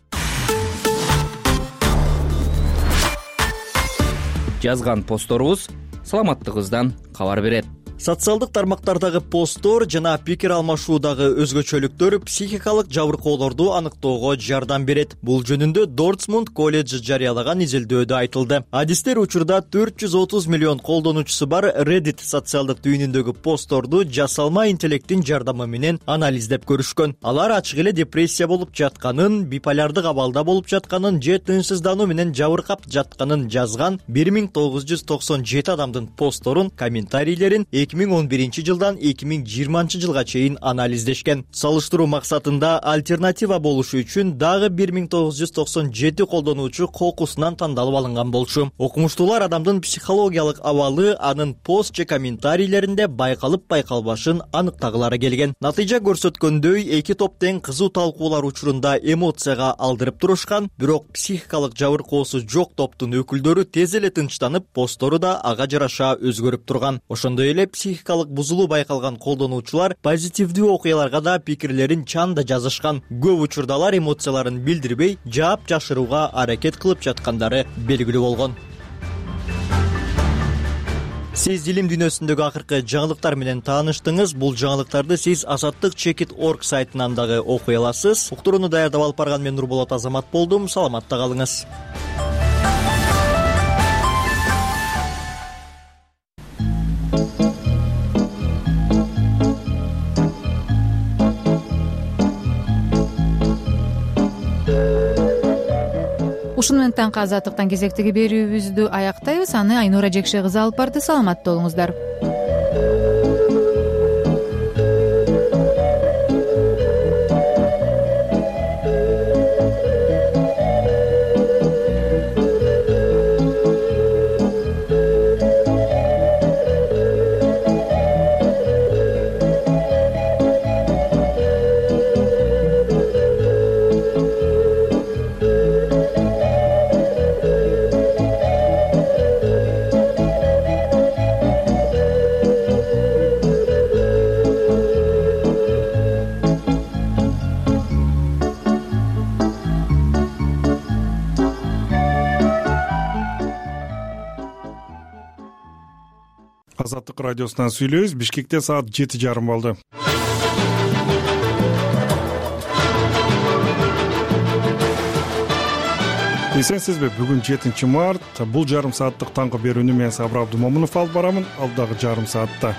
Жазган постторубуз саламаттыгыбыздан кабар берет. Социалдык тармактардагы посттор жана пикир алмашуудагы өзгөчөлүктөр психикалык жабыркоолорду аныктоого жардам берет. Бул жөнүндө Дортмунд колледжи жарыялаган изилдөөдө айтылды. Адистер учурда төрт жүз отуз миллион колдонуучусу бар Reddit социалдык түйүнүндөгү постторду жасалма интеллекттин жардамы менен анализдеп көрүшкөн. Алар ачык эле депрессия болуп жатканын, биполярдык абалда болуп жатканын же тынчсыздануу менен жабыркап жатканын жазган бир миң тогуз жүз токсон жети адамдын постторун, комментарийлерин эки миң он биринчи жылдан эки миң жыйырманчы жылга чейин анализдешкен. Салыштыруу максатында альтернатива болушу үчүн дагы бир миң тогуз жүз токсон жети колдонуучу кокусунан тандалып алынган болчу. Окумуштуулар адамдын психологиялык абалы анын пост же комментарийлеринде байкалып байкалбашын аныктагылары келген. Натыйжа көрсөткөндөй, эки топ тең кызуу талкуулар учурунда эмоцияга алдырып турушкан, бирок психикалык жабыркоосу жок топтун өкүлдөрү тез эле тынчтанып, посттору да ага жараша өзгөрүп турган. Ошондой эле психикалык бузулуу байкалган колдонуучулар позитивдүү окуяларга да пикирлерин чанда жазышкан. Көп учурда алар эмоцияларын билдирбей, жаап жашырууга аракет кылып жаткандары белгилүү болгон. Сиз илим дүйнөсүндөгү акыркы жаңылыктар менен тааныштыңыз. Бул жаңылыктарды сиз азаттык чекит точка орг сайтынан дагы окуй аласыз. Уктурууну даярдап алып барган мен Нурболот Азамат болдум. Саламатта калыңыз. Ушуну менен таңкы азаттыктан кезектеги берүүбүздү аяктайбыз. Аны Айнура Жекше кызы алып барды. Саламатта болуңуздар. Азаттык радиосунан сүйлөйбүз. Бишкекте саат жети жарым болду. Эсенсизби? Бүгүн жетинчи март. Бул жарым сааттык таңкы берүүнү мен Сабыр Абдумомунов алып барамын. Алдагы жарым саатта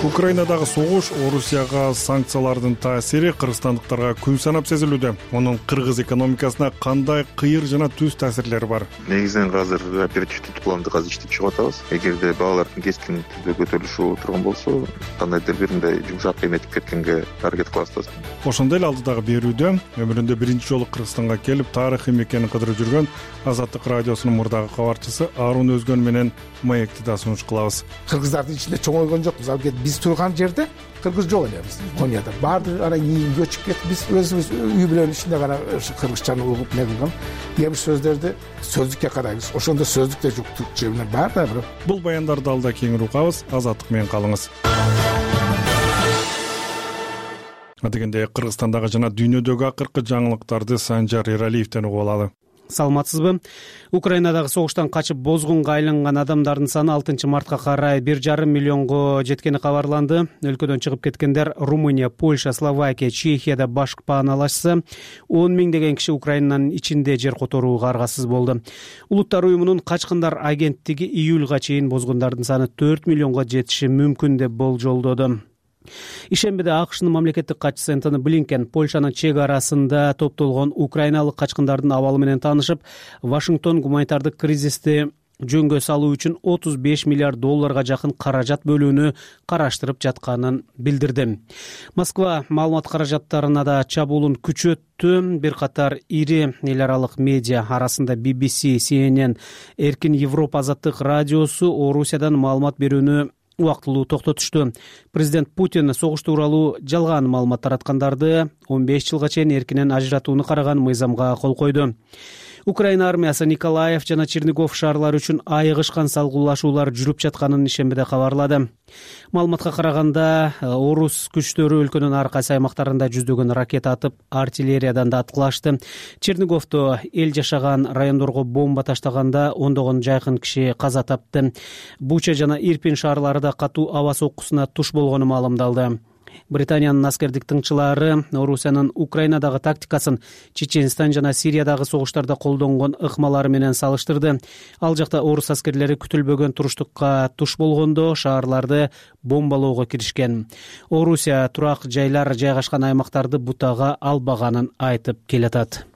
Украинадагы согуш, Орусияга санкциялардын таасири кыргызстандыктарга күн санап сезилүүдө. Мунун кыргыз экономикасына кандай кыйыр жана түз таасирлери бар? Негизинен азыр оперативдүү планды азыр иштеп чыгып атабыз. Эгерде баалардын кескин түрдө көтөрүлүшү боло турган болсо, кандайдыр бир мындай жумшак эметип кеткенге аракет кылып атабыз. Ошондой эле алдыдагы берүүдө өмүрүндө биринчи жолу Кыргызстанга келип, тарыхый мекенин кыдырып жүргөн Азаттык радиосунун мурдагы кабарчысы Арун Өзгөн менен маекти да сунуш кылабыз. Кыргыздардын ичинде чоңойгон жокпуз. Ал биз турган жерде кыргыз жок эле биз Конияда. Баардык ара ийин көчүп кетип, биз өзүбүз үй бүлөнүн ичинде гана кыргызчаны угуп не кылган. Кээ бир сөздөрдү сөздүккө карайбыз. Ошондо сөздүк да жок, түркчө менен бар да бир. Бул баяндарды алда кеңири угабыз. Азаттык менен калыңыз. Адегенде Кыргызстандагы жана дүйнөдөгү акыркы жаңылыктарды Санжар Эралиевден угуп алалы. Саламатсызбы? Украинадагы согуштан качып бозгунга айланган адамдардын саны алтынчы мартка карай бир жарым миллионго жеткени кабарланды. Өлкөдөн чыгып кеткендер Румыния, Польша, Словакия, Чехияда баш пааналашса, он миңдеген киши Украинанын ичинде жер которууга аргасыз болду. Улуттар уюмунун качкындар агенттиги июлга чейин бозгундардын саны төрт миллионго жетиши мүмкүн деп болжолдоду. Ишембиде АКШнын мамлекеттик катчысы Энтони Блинкен Польшанын чек арасында топтолгон украиналык качкындардын абалы менен таанышып, Вашингтон гуманитардык кризисти жөнгө салуу үчүн отуз беш миллиард долларга жакын каражат бөлүүнү караштырып жатканын билдирди. Москва маалымат каражаттарына да чабуулун күчөттү. Бир катар ири эл аралык медиа арасында би би си, си эн эн, Эркин Европа азаттык радиосу Орусиядан маалымат берүүнү убактылуу токтотушту. Президент Путин согуш тууралуу жалган маалымат тараткандарды он беш жылга чейин эркинен ажыратууну караган мыйзамга кол койду. Украина армиясы Николаев жана Чернигов шаарлары үчүн айыгышкан салгылашуулар жүрүп жатканын ишембиде кабарлады. Маалыматка караганда, орус күчтөрү өлкөнүн ар кайсы аймактарында жүздөгөн ракета атып, артиллериядан да аткылашты. Черниговдо эл жашаган райондорго бомба таштаганда ондогон жайкын киши каза тапты. Буча жана Ирпин шаарлары да катуу аба соккусуна туш болгону маалымдалды. Британиянын аскердик тыңчылары Орусиянын Украинадагы тактикасын Чеченстан жана Сириядагы согуштарда колдонгон ыкмалары менен салыштырды. Ал жакта орус аскерлери күтүлбөгөн туруштукка туш болгондо шаарларды бомбалоого киришкен. Орусия турак жайлар жайгашкан аймактарды бутага албаганын айтып келатат.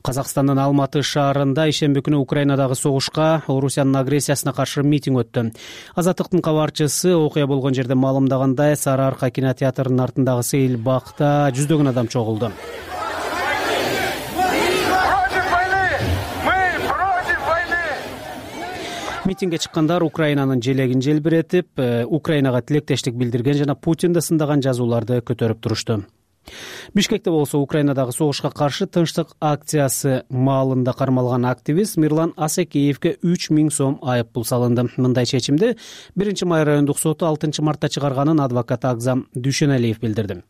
Казакстандын Алматы шаарында ишемби күнү Украинадагы согушка, Орусиянын агрессиясына каршы митинг өттү. Азаттыктын кабарчысы окуя болгон жерде маалымдагандай, Сары Арка кинотеатрынын артындагы сейил бакта жүздөгөн адам чогулду. Митингге чыккандар Украинанын желегин желбиретип, Украинага тилектештик билдирген жана Путинди сындаган жазууларды көтөрүп турушту. Бишкекте болсо Украинадагы согушка каршы тынчтык акциясы маалында кармалган активист Мирлан Асекеевге үч миң сом айып пул салынды. Мындай чечимди биринчи май райондук соту алтынчы мартта чыгарганын адвокат Агзам Дүйшеналиев билдирди.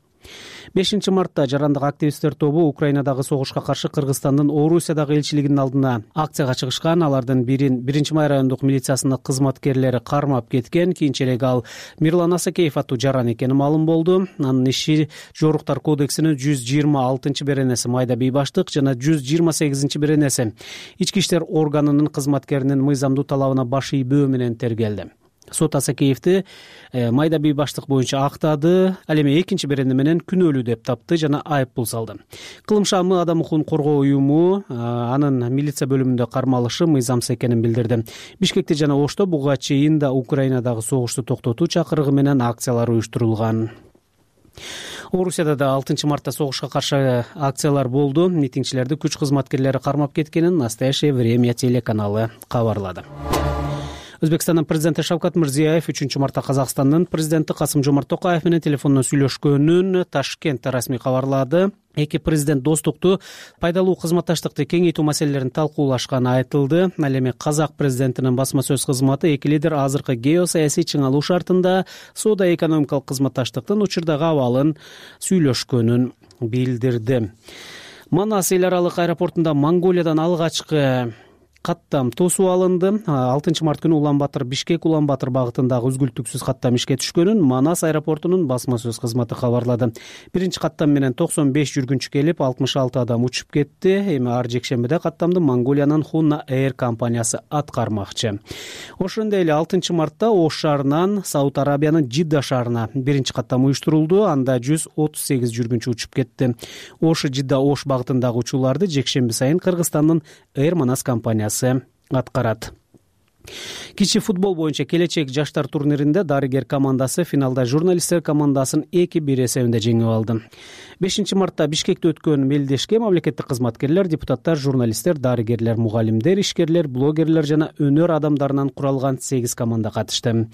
бешинчи мартта жарандык активисттер тобу Украинадагы согушка каршы Кыргызстандын Орусиядагы элчилигинин алдына акцияга чыгышкан. Алардын бирин биринчи май райондук милициясынын кызматкерлери кармап кеткен. Кийинчерээк ал Мирлан Асекеев аттуу жаран экени маалым болду. Анын иши жоруктар кодексинин жүз жыйырма алтынчы беренеси майда бейбаштык жана жүз жыйырма сегизинчи беренеси ички иштер органынын кызматкеринин мыйзамдуу талабына баш ийбөө менен тергелди. Сот Асекеевди майда бейбаштык боюнча актады. Ал эми экинчи берене менен күнөөлүү деп тапты жана айып пул салды. Кылым шамы адам укугун коргоо уюму анын милиция бөлүмүндө кармалышы мыйзамсыз экенин билдирди. Бишкекте жана Ошто буга чейин да Украинадагы согушту токтотуу чакырыгы менен акциялар уюштурулган. Орусияда да алтынчы мартта согушка каршы акциялар болду. Митингчилерди күч кызматкерлери кармап кеткенин Настоящее время телеканалы кабарлады. Өзбекстандын президенти Шавкат Мирзиёев үчүнчү мартта Казакстандын президенти Касым-Жомарт Токаев менен телефондон сүйлөшкөнүн Ташкентте расмий кабарлады. Эки президент достукту, пайдалуу кызматташтыкты кеңейтүү маселелерин талкуулашканы айтылды. Ал эми Казак президентинин басма сөз кызматы эки лидер азыркы геосаясий чыңалуу шартында соода-экономикалык кызматташтыктын учурдагы абалын сүйлөшкөнүн билдирди. Манас эл аралык аэропортунда Монголиядан алгачкы каттам тосуп алынды. алтынчы март күнү Улан Батыр Бишкек Улан Батыр багытындагы үзгүлтүксүз каттам ишке түшкөнүн Манас аэропортунун басма сөз кызматы кабарлады. Биринчи каттам менен токсон беш жүргүнчү келип, алтымыш алты адам учуп кетти. Эми ар жекшембиде каттамды Монголиянын Хунна Air компаниясы аткармакчы. Ошондой эле алтынчы мартта Ош шаарынан Сауд Арабиянын Жидда шаарына биринчи каттам уюштурулду. Анда жүз отуз сегиз жүргүнчү учуп кетти. Ош Жидда Ош багытындагы учууларды жекшемби сайын Кыргызстандын Air Манас компаниясы аткарат. Кичи футбол боюнча келечек жаштар турниринде Дарыгер командасы финалда журналисттер командасын эки бир эсебинде жеңип алды. бешинчи мартта Бишкекте өткөн мелдешке мамлекеттик кызматкерлер, депутаттар, журналисттер, дарыгерлер, мугалимдер, ишкерлер, блогерлер жана өнөр адамдарынан куралган сегиз команда катышты.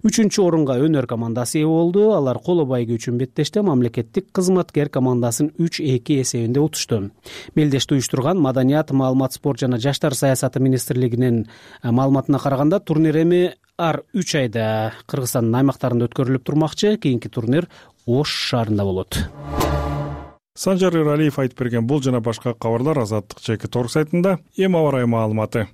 Үчүнчү орунга өнөр командасы ээ болду. Алар коло байгы үчүн беттеште мамлекеттик кызматкер командасын үч эки эсебинде утушту. Мелдешти уюштурган Маданият, маалымат, спорт жана жаштар саясаты министрлигинин маалыматына караганда турнир эми ар үч айда Кыргызстандын аймактарында өткөрүлүп турмакчы. Кийинки турнир Ош шаарында болот. Санжар Иралиев айтып берген бул жана башка кабарлар Азаттык чекит орг сайтында. Эми аба ырайы маалыматы.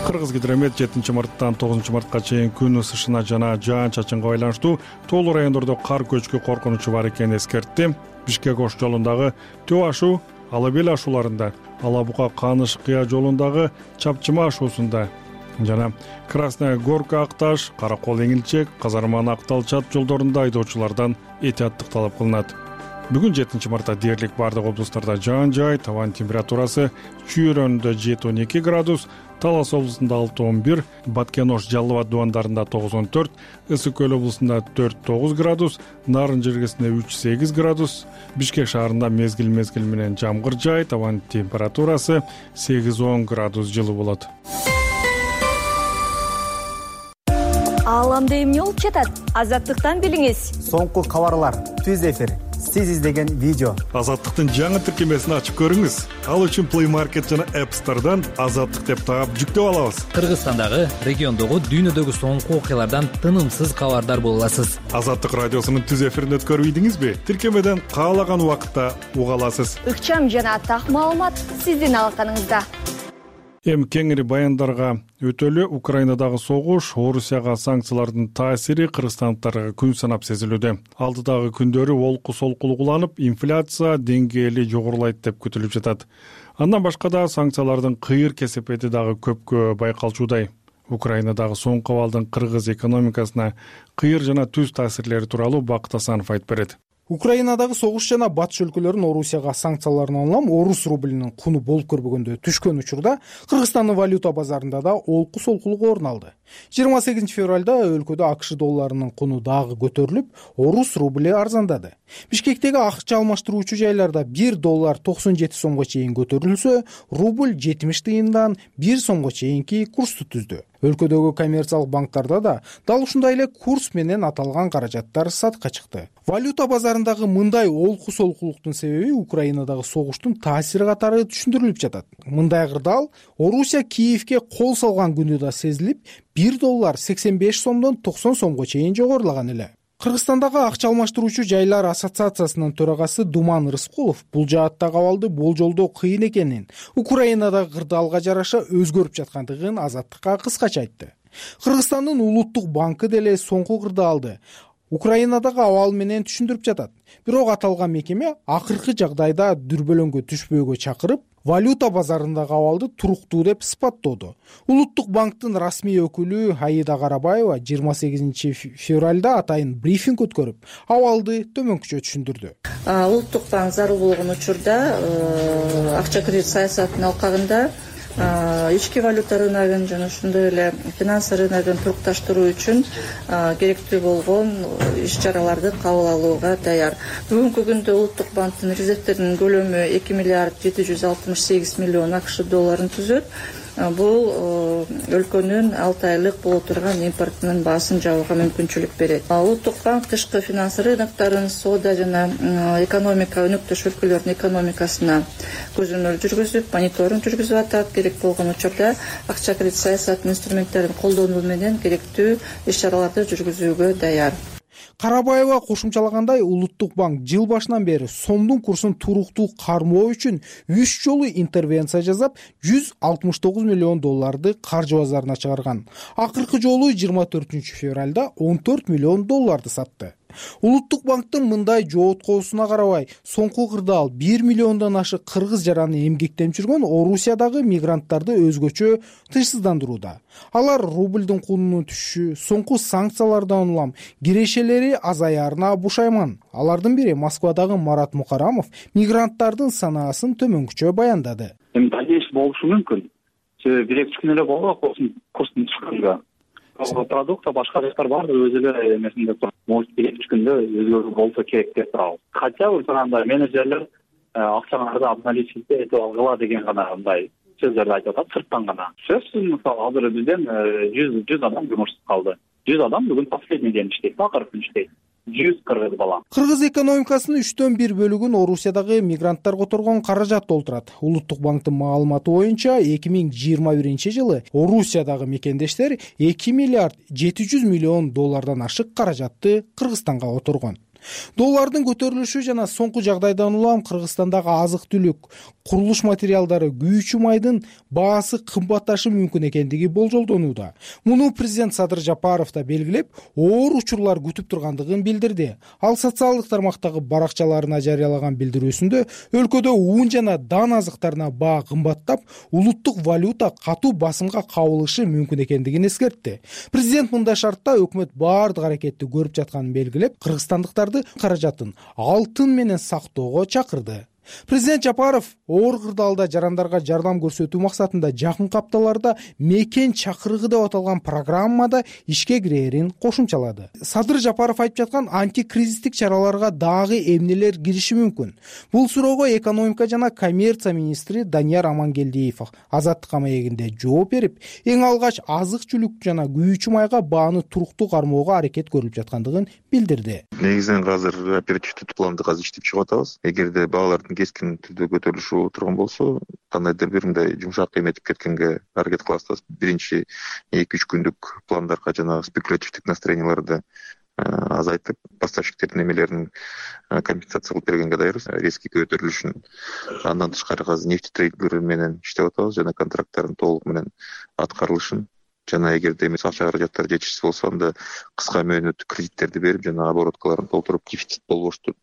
Кыргызгидромет жетинчи марттан тогузунчу мартка чейин күн ысышына жана жаан-чачынга байланыштуу тоолуу райондордо кар көчкү коркунучу бар экенин эскертти. Бишкек Ош жолундагы Төө ашуу, Ала Бел ашууларында, Ала Бука Каныш Кыя жолундагы Чапчыма ашуусунда жана Красная Горка Акташ, Каракол Эңилчек, Казарман Актал Чат жолдорунда айдоочулардан этияттык талап кылынат. Бүгүн жетинчи мартта дээрлик бардык облустарда жаан жай, табан температурасы Чүй районунда жети он эки градус, Талас облусунда алты он бир, Баткен Ош Жалал Абад дубандарында тогуз он төрт, Ысык Көл облусунда төрт тогуз градус, Нарын жергесинде үч сегиз градус, Бишкек шаарында мезгил-мезгил менен жамгыр жай, табан температурасы сегиз он градус жылы болот. Ааламда эмне болуп жатат? Азаттыктан билиңиз. Соңку кабарлар, түз эфир, сиз издеген видео. Азаттыктын жаңы тиркемесин ачып көрүңүз. Ал үчүн Play Market жана App Store'дан Азаттык деп таап жүктөп алабыз. Кыргызстандагы, региондогу, дүйнөдөгү соңку окуялардан тынымсыз кабардар боло аласыз. Азаттык радиосунун түз эфирин өткөрүп ийдиңизби? Тиркемеден каалаган убакытта уга аласыз. Ыкчам жана так маалымат сиздин алаканыңызда. Эми кеңири баяндарга өтөлү. Украинадагы согуш, Орусияга санкциялардын таасири кыргызстандыктарга күн санап сезилүүдө. Алдыдагы күндөрү олку солкулук уланып, инфляция деңгээли жогорулайт деп күтүлүп жатат. Андан башка да санкциялардын кыйыр кесепети дагы көпкө байкалчуудай. Украинадагы соңку абалдын кыргыз экономикасына кыйыр жана түз таасирлери тууралуу Бакыт Асанов айтып берет. Украинадагы согуш жана батыш өлкөлөрүнүн Орусияга санкцияларын улам орус рублинин куну болуп көрбөгөндө түшкөн учурда Кыргызстандын валюта базарында да олку солкулук орун алды. жыйырма сегизинчи февралда өлкөдө АКШ долларынын куну дагы көтөрүлүп, орус рубли арзандады. Бишкектеги акча алмаштыруучу жайларда бир доллар токсон жети сомго чейин көтөрүлсө, рубль жетимиш тыйындан бир сомго чейинки курсту түздү. Өлкөдөгү коммерциялык банктарда да дал ушундай эле курс менен аталган каражаттар сатка чыкты. Валюта базарындагы мындай олку солкулуктун себеби Украинадагы согуштун таасири катары түшүндүрүлүп жатат. Мындай кырдаал Орусия Киевке кол салган күнү да сезилип, бир доллар сексен беш сомдон токсон сомго чейин жогорулаган эле. Кыргызстандагы акча алмаштыруучу жайлар ассоциациясынын төрагасы Думан Рыскулов бул жааттагы абалды болжолдоо кыйын экенин, Украинадагы кырдаалга жараша өзгөрүп жаткандыгын Азаттыкка кыскача айтты. Кыргызстандын улуттук банкы деле соңку кырдаалды Украинадагы абал менен түшүндүрүп жатат. Бирок аталган мекеме акыркы жагдайда дүрбөлөңгө түшпөөгө чакырып, валюта базарындагы абалды туруктуу деп сыпаттоодо. Улуттук банктын расмий өкүлү Аида Карабаева жыйырма сегизинчи февралда атайын брифинг өткөрүп, абалды төмөнкүчө түшүндүрдү. Улуттук банк зарыл болгон учурда акча кредит саясатынын алкагында ички валюта рыногун жана ошондой эле финансы рыногун турукташтыруу үчүн керектүү болгон иш-чараларды кабыл алууга даяр. Бүгүнкү күндө улуттук банктын резервтеринин көлөмү эки миллиард жети жүз алтымыш сегиз миллион акш долларын түзөт. Бул өлкөнүн алты айлык боло турган импортунун баасын жабууга мүмкүнчүлүк берет. Улуттук банк тышкы финансы рынокторун, соода жана экономика өнөктөш өлкөлөрдүн экономикасына көзөмөл жүргүзүп, мониторинг жүргүзүп атат. Керек болгон учурда акча кредит саясатынын инструменттерин колдонуу менен керектүү иш-чараларды жүргүзүүгө даяр. Карабаева кошумчалагандай, Улуттук банк жыл башынан бери сомдун курсун туруктуу кармоо үчүн үч жолу интервенция жасап, жүз алтымыш тогуз миллион долларды каржы базарына чыгарган. Акыркы жолу жыйырма төртүнчү февралда он төрт миллион долларды сатты. Улуттук банктын мындай жооткоосуна карабай, соңку кырдаал бир миллиондон ашык кыргыз жараны эмгектенип жүргөн Орусиядагы мигранттарды өзгөчө тынчсыздандырууда. Алар рублдун кунунун түшүшү, соңку санкциялардан улам кирешелери азаярына бушайман. Алардын бири Москвадагы Марат Мукарамов мигранттардын санаасын төмөнкүчө баяндады. Эми дальнейший болушу мүмкүн. бир эки күн эле болду курстун чыкканга. Продукция башка жактар бар, өз эле эмесинде туруп, может бир эки күндө өзгөрүү болсо керек деп турабыз. Хотя бы жанагындай менеджерлер акчаңарды обналичить этип алгыла деген гана мындай сөздөрдү айтып атат, сырттан гана. Сөзсүз, мисалы, азыр бизден жүз жүз адам жумушсуз калды. жүз адам бүгүн последний ден иштейт, акыркы күн иштейт. жүз кыргыз бала. Кыргыз экономикасынын үчтөн бир бөлүгүн Орусиядагы мигранттар которгон каражат толтурат. Улуттук банктын маалыматы боюнча эки миң жыйырма биринчи жылы Орусиядагы мекендештер эки миллиард жети жүз миллион доллардан ашык каражатты Кыргызстанга которгон. Доллардын көтөрүлүшү жана соңку жагдайдан улам Кыргызстандагы азык-түлүк, курулуш материалдары, күйүүчү майдын баасы кымбатташы мүмкүн экендиги болжолдонууда. Муну президент Садыр Жапаров да белгилеп, оор учурлар күтүп тургандыгын билдирди. Ал социалдык тармактагы баракчаларына жарыялаган билдирүүсүндө өлкөдө ун жана дан азыктарына баа кымбаттап, улуттук валюта катуу басымга кабылышы мүмкүн экендигин эскертти. Президент мындай шартта өкмөт баардык аракетти көрүп жатканын белгилеп, кыргызстандыктарды каражатын алтын менен сактоого чакырды. Президент Жапаров оор кырдаалда жарандарга жардам көрсөтүү максатында жакынкы апталарда мекен чакырыгы деп аталган программада ишке кирээрин кошумчалады. Садыр Жапаров айтып жаткан антикризистик чараларга дагы эмнелер кириши мүмкүн? Бул суроого экономика жана коммерция министри Данияр Амангелдиев Азаттык маегинде жооп берип, эң алгач азык-түлүк жана күйүүчү майга бааны туруктуу кармоого аракет көрүлүп жаткандыгын билдирди. Негизинен азыр оперативдүү планды азыр иштеп чыгып атабыз. Эгерде баалардын кескин түрдө көтөрүлүшү турган болсо, кандайдыр бир мындай жумшак эметип кеткенге аракет кылабыз. Биринчи эки үч күндүк пландарга жана спекулятивдик настроенияларды азайтып, поставщиктердин эмелерин компенсация кылып бергенге даярбыз. Резкий көтөрүлүшүн андан тышкары азыр нефть трейдерлери менен иштеп атабыз жана контракттардын толук менен аткарылышын жана эгерде эмес акча каражаттары жетишсиз болсо, анда кыска мөөнөттүү кредиттерди берип жана обороткаларын толтуруп дефицит болбошту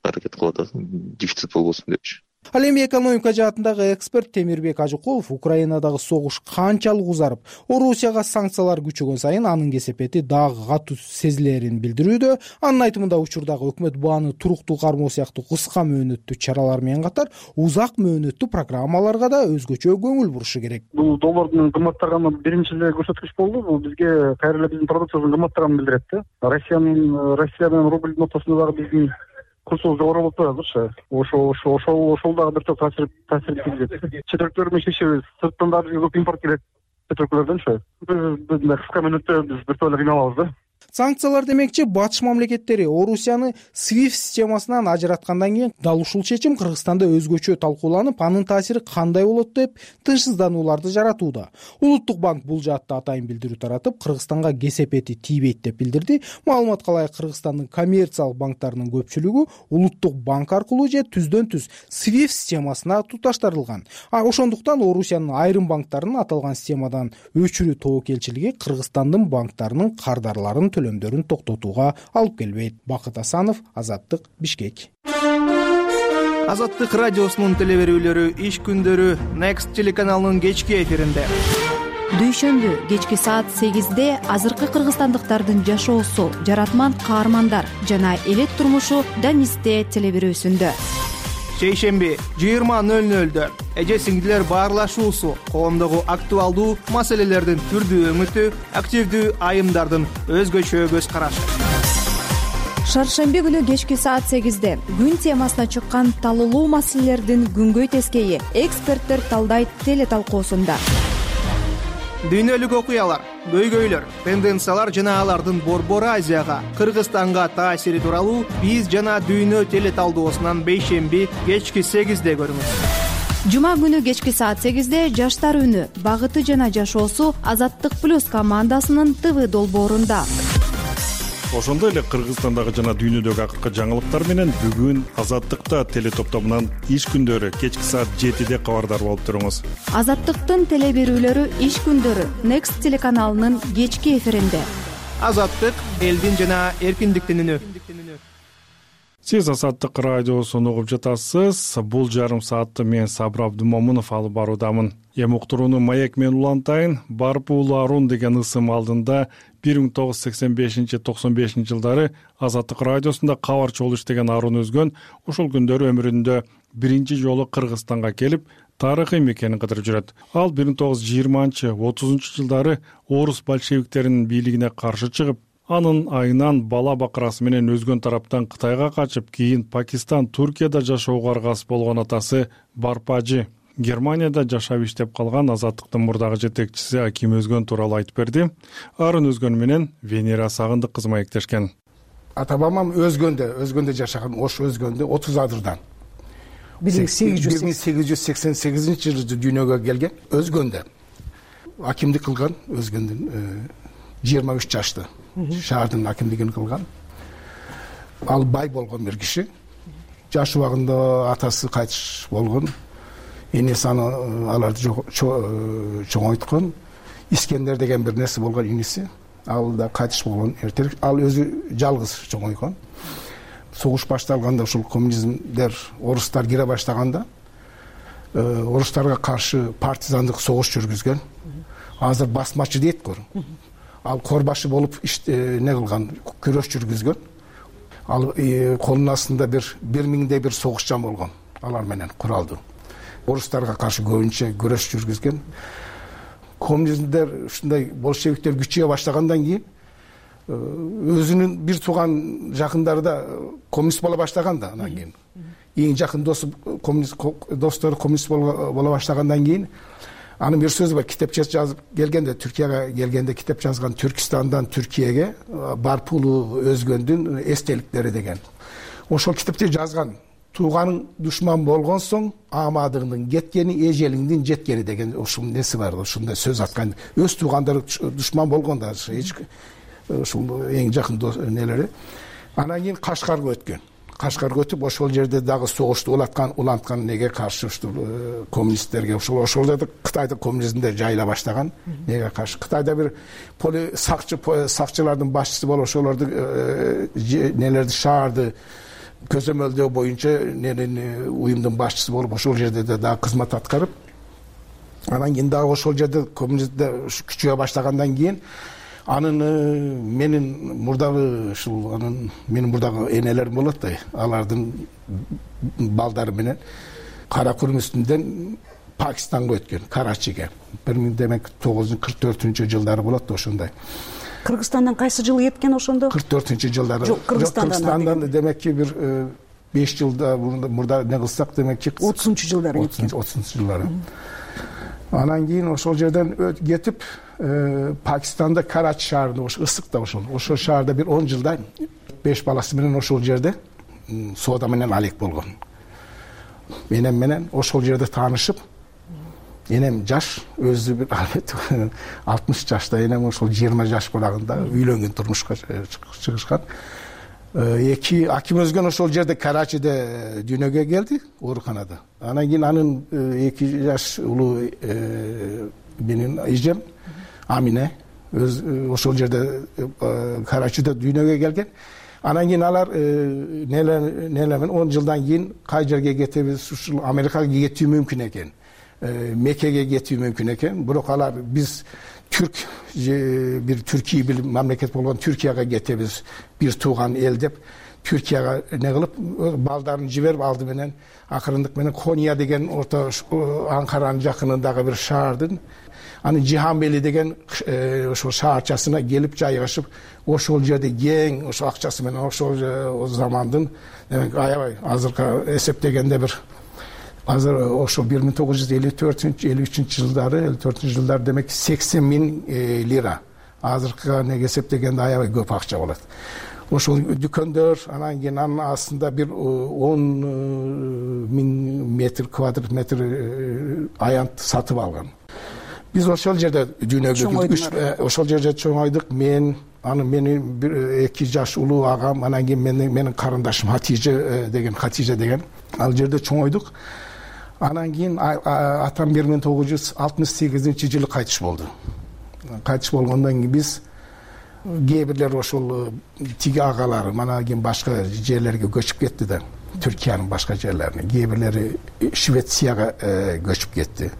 аракет кылып атат, дефицит болбосун депчи. Ал эми экономика жаатындагы эксперт Темирбек Ажыкулов Украинадагы согуш канчалык узарып, Орусияга санкциялар күчөгөн сайын анын кесепети дагы катуу сезилерин билдирүүдө. Анын айтымында учурдагы өкмөт бааны туруктуу кармоо сыяктуу кыска мөөнөттүү чаралар менен катар узак мөөнөттүү программаларга да өзгөчө көңүл бурушу керек. Бул доллардын кымбаттаганы биринчи эле көрсөткүч болду. Бул бизге кайра эле биздин продукциябыздын кымбаттаганын билдирет да. Россиянын Россия менен рубль нотасында дагы биздин курсубуз жогору болуп турат. Ошо ошо ошол ошол дагы бир топ таасир таасир тийгизет. Чет өлкөлөр менен иштешебиз. Сырттан дагы көп импорт келет. Чет өлкөлөрдөнчү. Биз кыска мөөнөттө биз бир топ эле кыйналабыз да. Санкциялар демекчи батыш мамлекеттери Орусияны свифт системасынан ажыраткандан кийин дал ушул чечим Кыргызстанда өзгөчө талкууланып, анын таасири кандай болот деп тынчсызданууларды жаратууда. Улуттук банк бул жаатта атайын билдирүү таратып, Кыргызстанга кесепети тийбейт деп билдирди. Маалыматка ылайык Кыргызстандын коммерциялык банктарынын көпчүлүгү Улуттук банк аркылуу же түздөн-түз свифт системасына туташтырылган. А ошондуктан Орусиянын айрым банктарынын аталган системадан өчүрүү тобокелчилиги Кыргызстандын банктарынын кардарларын төлөмдөрүн токтотууга алып келбейт. Бакыт Асанов, Азаттык, Бишкек. Азаттык радиосунун телеберүүлөрү иш күндөрү Next телеканалынын кечки эфиринде. Дүйшөмбү кечки саат сегизде азыркы кыргызстандыктардын жашоосу, жаратман каармандар жана элет турмушу Данисте телеберүүсүндө. Шейшемби жыйырма нөл нөлдө эже сиңдилер баарлашуусу, коомдогу актуалдуу маселелердин түрдүү өңүтү, активдүү айымдардын өзгөчө көз карашы. Шаршемби күнү кечки саат сегизде күн темасына чыккан талуулуу маселелердин күнгөй тескейи эксперттер талдайт теле талкуусунда. Дүйнөлүк окуялар, көйгөйлөр, тенденциялар жана алардын Борбор Азияга, Кыргызстанга таасири тууралуу биз жана дүйнө теле талдоосунан бейшемби кечки сегизде көрүңүз. Жума күнү кечки саат сегизде жаштар үнү, багыты жана жашоосу Азаттык плюс командасынын ТВ долбоорунда. ошондой эле Кыргызстандагы жана дүйнөдөгү акыркы жаңылыктар менен бүгүн Азаттыкта теле топтомунан иш күндөрү кечки саат жетиде кабардар болуп туруңуз. Азаттыктын теле берүүлөрү иш күндөрү Next телеканалынын кечки эфиринде. Азаттык элдин жана эркиндиктин үнү. Сиз Азаттык радиосун угуп жатасыз. Бул жарым саатты мен Сабыр Абдымомунов алып баруудамын. Эми уктурууну маек менен улантайын. Барпуулу Арун деген ысым алдында бир миң тогуз жүз сексен бешинчи токсон бешинчи жылдары Азаттык радиосунда кабарчы болуп иштеген Арун өзгөн ушул күндөрү өмүрүндө биринчи жолу Кыргызстанга келип, тарыхый мекенин кыдырып жүрөт. Ал бир миң тогуз жүз жыйырманчы отузунчу жылдары орус большевиктеринин бийлигине каршы чыгып, анын айынан бала бакырасы менен өзгөн тараптан Кытайга качып, кийин Пакистан, Туркияда жашоого аргасыз болгон атасы Барпажы Германияда жашап иштеп калган Азаттыктын мурдагы жетекчиси Аким Өзгөн тууралуу айтып берди. Арын Өзгөн менен Венера Сагындык кызы маектешкен. Ата бабам Өзгөндө, Өзгөндө жашаган, Ош Өзгөндө отуз адырдан. бир миң сегиз жүз сексен сегизинчи жылы дүйнөгө келген Өзгөндө. Акимдик кылган Өзгөндүн жыйырма үч жашты. Шаардын акимдигин кылган. Ал бай болгон бир киши. Жаш убагында атасы кайтыш болгон. Энеси аны аларды чоңойткон. Искендер деген бир нерсе болгон иниси. Ал да кайтыш болгон эртерээк. Ал өзү жалгыз чоңойгон. Согуш башталганда ушул коммунизмдер, орустар кире баштаганда орустарга каршы партизандык согуш жүргүзгөн. Азыр басмачы дейт го. Ал корбашы болуп не кылган, күрөш жүргүзгөн. Ал колунун астында бир бир миңдей бир согушчан болгон. Алар менен куралдуу. Орустарга каршы көбүнчө күрөш жүргүзгөн. Коммунизмдер ушундай большевиктер күчөйө баштагандан кийин өзүнүн бир тууган жакындары да коммунист боло баштаган да, анан кийин эң жакын досу коммунист достору коммунист боло баштагандан кийин анын бир сөзү бар, китепче жазып келгенде, Түркияга келгенде китеп жазган, Түркистандан Түркияга Барпуулу Өзгөндүн эстеликтери деген. Ошол китепте жазган: тууганың душман болгон соң амадыңдын кеткени, эжелиңдин жеткени деген ушул неси бар, ушундай сөз аткан. Өз туугандары душман болгон да, ушул эң жакын нелери. Анан кийин Кашкарга өткөн. Кашкарга өтүп, ошол жерде дагы согушту улаткан, уланткан неге каршы ушул коммунисттерге, ошол ошол жерде Кытайда коммунизмдер жайыла баштаган. Неге каршы? Кытайда бир поли сакчы сакчылардын башчысы болуп, ошолорду нелерди, шаарды көзөмөлдөө боюнча ненин уюмдун башчысы болуп, ошол жерде дагы кызмат аткарып, анан кийин дагы ошол жерде коммунисттер күчөйө баштагандан кийин анын менин мурдагы ушул анын менин мурдагы энелерим болот да, алардын балдары менен Кара Күрмүстүндөн Пакистанга өткөн, Карачиге. бир миң тогуз жүз кырк төртүнчү жылдары болот да, ошондой. Кыргызстандан кайсы жылы кеткен ошондо? кырк төртүнчү жылдары. Жок, Кыргызстандан демекки бир беш жылда мурда не кылсак, демекки отузунчу жылдары кеткен. отузунчу жылдары. Анан кийин ошол жерден кетип, Пакистанда Карачи шаарында, ошо ысык да, ошол ошол шаарда бир он жылдай беш баласы менен ошол жерде соода менен алек болгон. Энем менен ошол жерде таанышып, энем жаш, өзү бир алтымыш жашта, энем ошол жыйырма жаш болганда үйлөнгөн, турмушка чыгышкан. Эки Аким Өзгөн ошол жерде Карачиде дүйнөгө келди, ооруканада. Анан кийин анын эки жаш улуу менин эжем Амине өз ошол жерде Карачиде дүйнөгө келген. Анан кийин алар нелемен он жылдан кийин кай жерге кетебиз, ушул Америкага кетүү мүмкүн экен, Меккеге кетүү мүмкүн экен. Бирок алар биз түрк бир Түркия бир мамлекет болгон Түркияга кетебиз, бир тууган эл деп Түркияга не кылып балдарын жиберип, алды менен акырындык менен Кония деген орто Анкаранын жакынындагы бир шаардын, аны Жиханбели деген ошол шаарчасына келип жайгашып, ошол жерде кең ошо акчасы менен ошол замандын, демек аябай азыркы эсептегенде бир азыр ошол бир миң тогуз жүз элүү төртүнчү элүү үчүнчү жылдары, элүү төртүнчү жылдары демек сексен миң лира. Азыркыга неге эсептегенде аябай көп акча болот. Ошол дүкөндөр, анан кийин анын астында бир он миң метр квадрат метр аянт сатып алган. биз ошол жерде дүйнөгө үч ошол жерде чоңойдук. Мен аны менин бир эки жаш улуу агам, анан кийин менин менин карындашым Хатиже деген Хатиже деген ал жерде чоңойдук. Анан кийин атам бир миң тогуз жүз алтымыш сегизинчи жылы кайтыш болду. Кайтыш болгондон кийин биз кээ бирлер ошол тиги агалары анан кийин башка жерлерге көчүп кетти да, Түркиянын башка жерлерине. Кээ бирлери Швецияга көчүп кетти.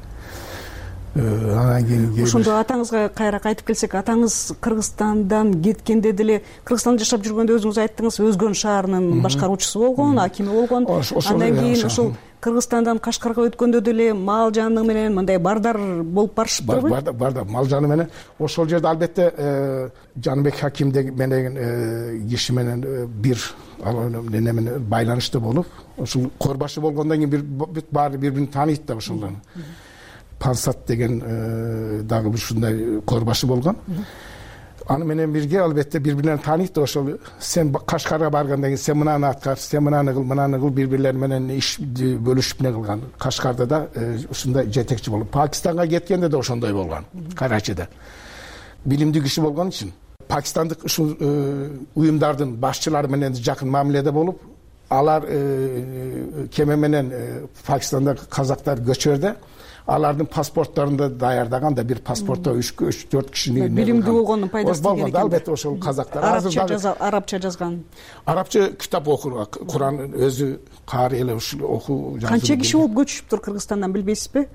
Анан кийин ошондо атаңызга кайра кайтып келсек, атаңыз Кыргызстандан кеткенде деле, Кыргызстанда жашап жүргөндө өзүңүз айттыңыз, Өзгөн шаарынын башкаруучусу болгон, акими болгон. Андан кийин ошол Кыргызстандан Кашкарга өткөндө деле мал жаны менен мындай бардар болуп барышыптырбы? Бардар, бардар, мал жаны менен. Ошол жерде албетте Жаныбек Хаким деген киши менен бир неме менен байланышта болуп, ошол корбашы болгондон кийин бир баары бири-бирин тааныйт да ошолорду. Пансат деген дагы ушундай корбашы болгон. Аны менен бирге албетте бири-бирлерин тааныйт. Ошол сен Кашкарга баргандан кийин сен мынаны аткар, сен мынаны кыл, мынаны кыл, бири-бирлери менен иш бөлүшүп не кылган. Кашкарда да ушундай жетекчи болуп, Пакистанга кеткенде да ошондой болгон. Карачыда билимдүү киши болгон үчүн пакистандык ушул уюмдардын башчылары менен жакын мамиледе болуп, алар кеме менен Пакистанда казактар көчөрдө алардын паспортторунда даярдаган да бир паспортто үч төрт кишини билимдүү болгондун пайдасы болгон. Албетте ошол казактар арабча жазган. Арабча китап окур, Куран өзү каары эле ушул окуу. Канча киши болуп көчүптүр Кыргызстандан билбейсизби?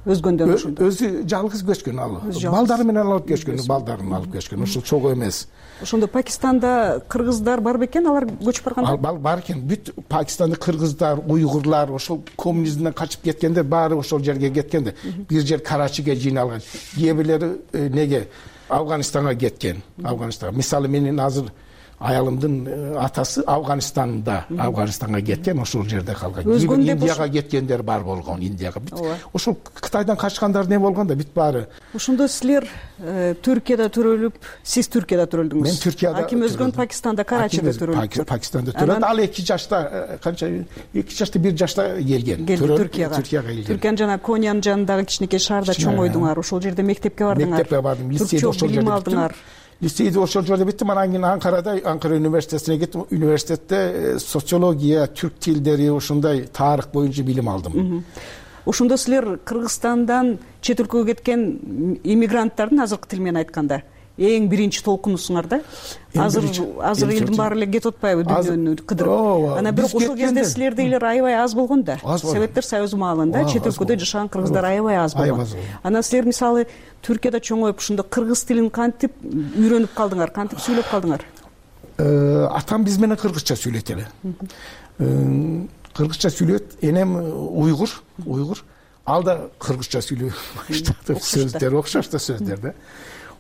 Өзгөндөн ошондо. Өзү жалгыз көчкөн ал. Балдары менен алып көчкөн, балдарын алып көчкөн. Ошол чогуу эмес. Ошондо Пакистанда кыргыздар бар бекен, алар көчүп барганда? Ал бар экен. Бүт Пакистандык кыргыздар, уйгурлар ошол коммунизмден качып кеткенде баары ошол жерге кеткенде. Бир жер Карачиге жыйналган. Кээ бирлери неге Афганистанга кеткен. Афганистанга. Мисалы менин азыр аялымдын атасы Афганистанда, Афганистанга кеткен, ошол жерде калган. Индияга кеткендер бар болгон, Индияга. Ошол Кытайдан качкандар не болгон да, бүт баары. Ошондо силер Түркияда төрөлүп, сиз Түркияда төрөлдүңүз. Мен Түркияда. Аким Өзгөн Пакистанда, Карачида төрөлдү. Пакистанда төрөлдү. Ал эки жашта, канча эки жашта, бир жашта келген. Түркияга. Түркияга келген. Түркиянын жана Конянын жанындагы кичинекей шаарда чоңойдуңар. Ошол жерде мектепке бардыңар. Мектепке бардым, лицейде ошол жерде алдыңар. Лицейде ошол жерде биттим. Анан кийин Анкарада, Анкара университетине кеттим. Университетте социология, түрк тилдери, ошондой тарых боюнча билим алдым. Ошондо силер Кыргызстандан чет өлкөгө кеткен иммигранттардын азыркы тил менен айтканда эң биринчи толкунусуңар да. Азыр азыр элдин баары эле кетип атпайбы дүйнөнү кыдырып. Анан бирок ошол кезде силердейлер аябай аз болгон да. Советтер Союзу маалында чет өлкөдө жашаган кыргыздар аябай аз болгон. Анан силер мисалы Түркияда чоңоюп ошондо кыргыз тилин кантип үйрөнүп калдыңар, кантип сүйлөп калдыңар? Атам биз менен кыргызча сүйлөйт эле. Кыргызча сүйлөйт, энем уйгур, уйгур. Ал да кыргызча сүйлөй баштады. Сөздөр окшош да сөздөр да.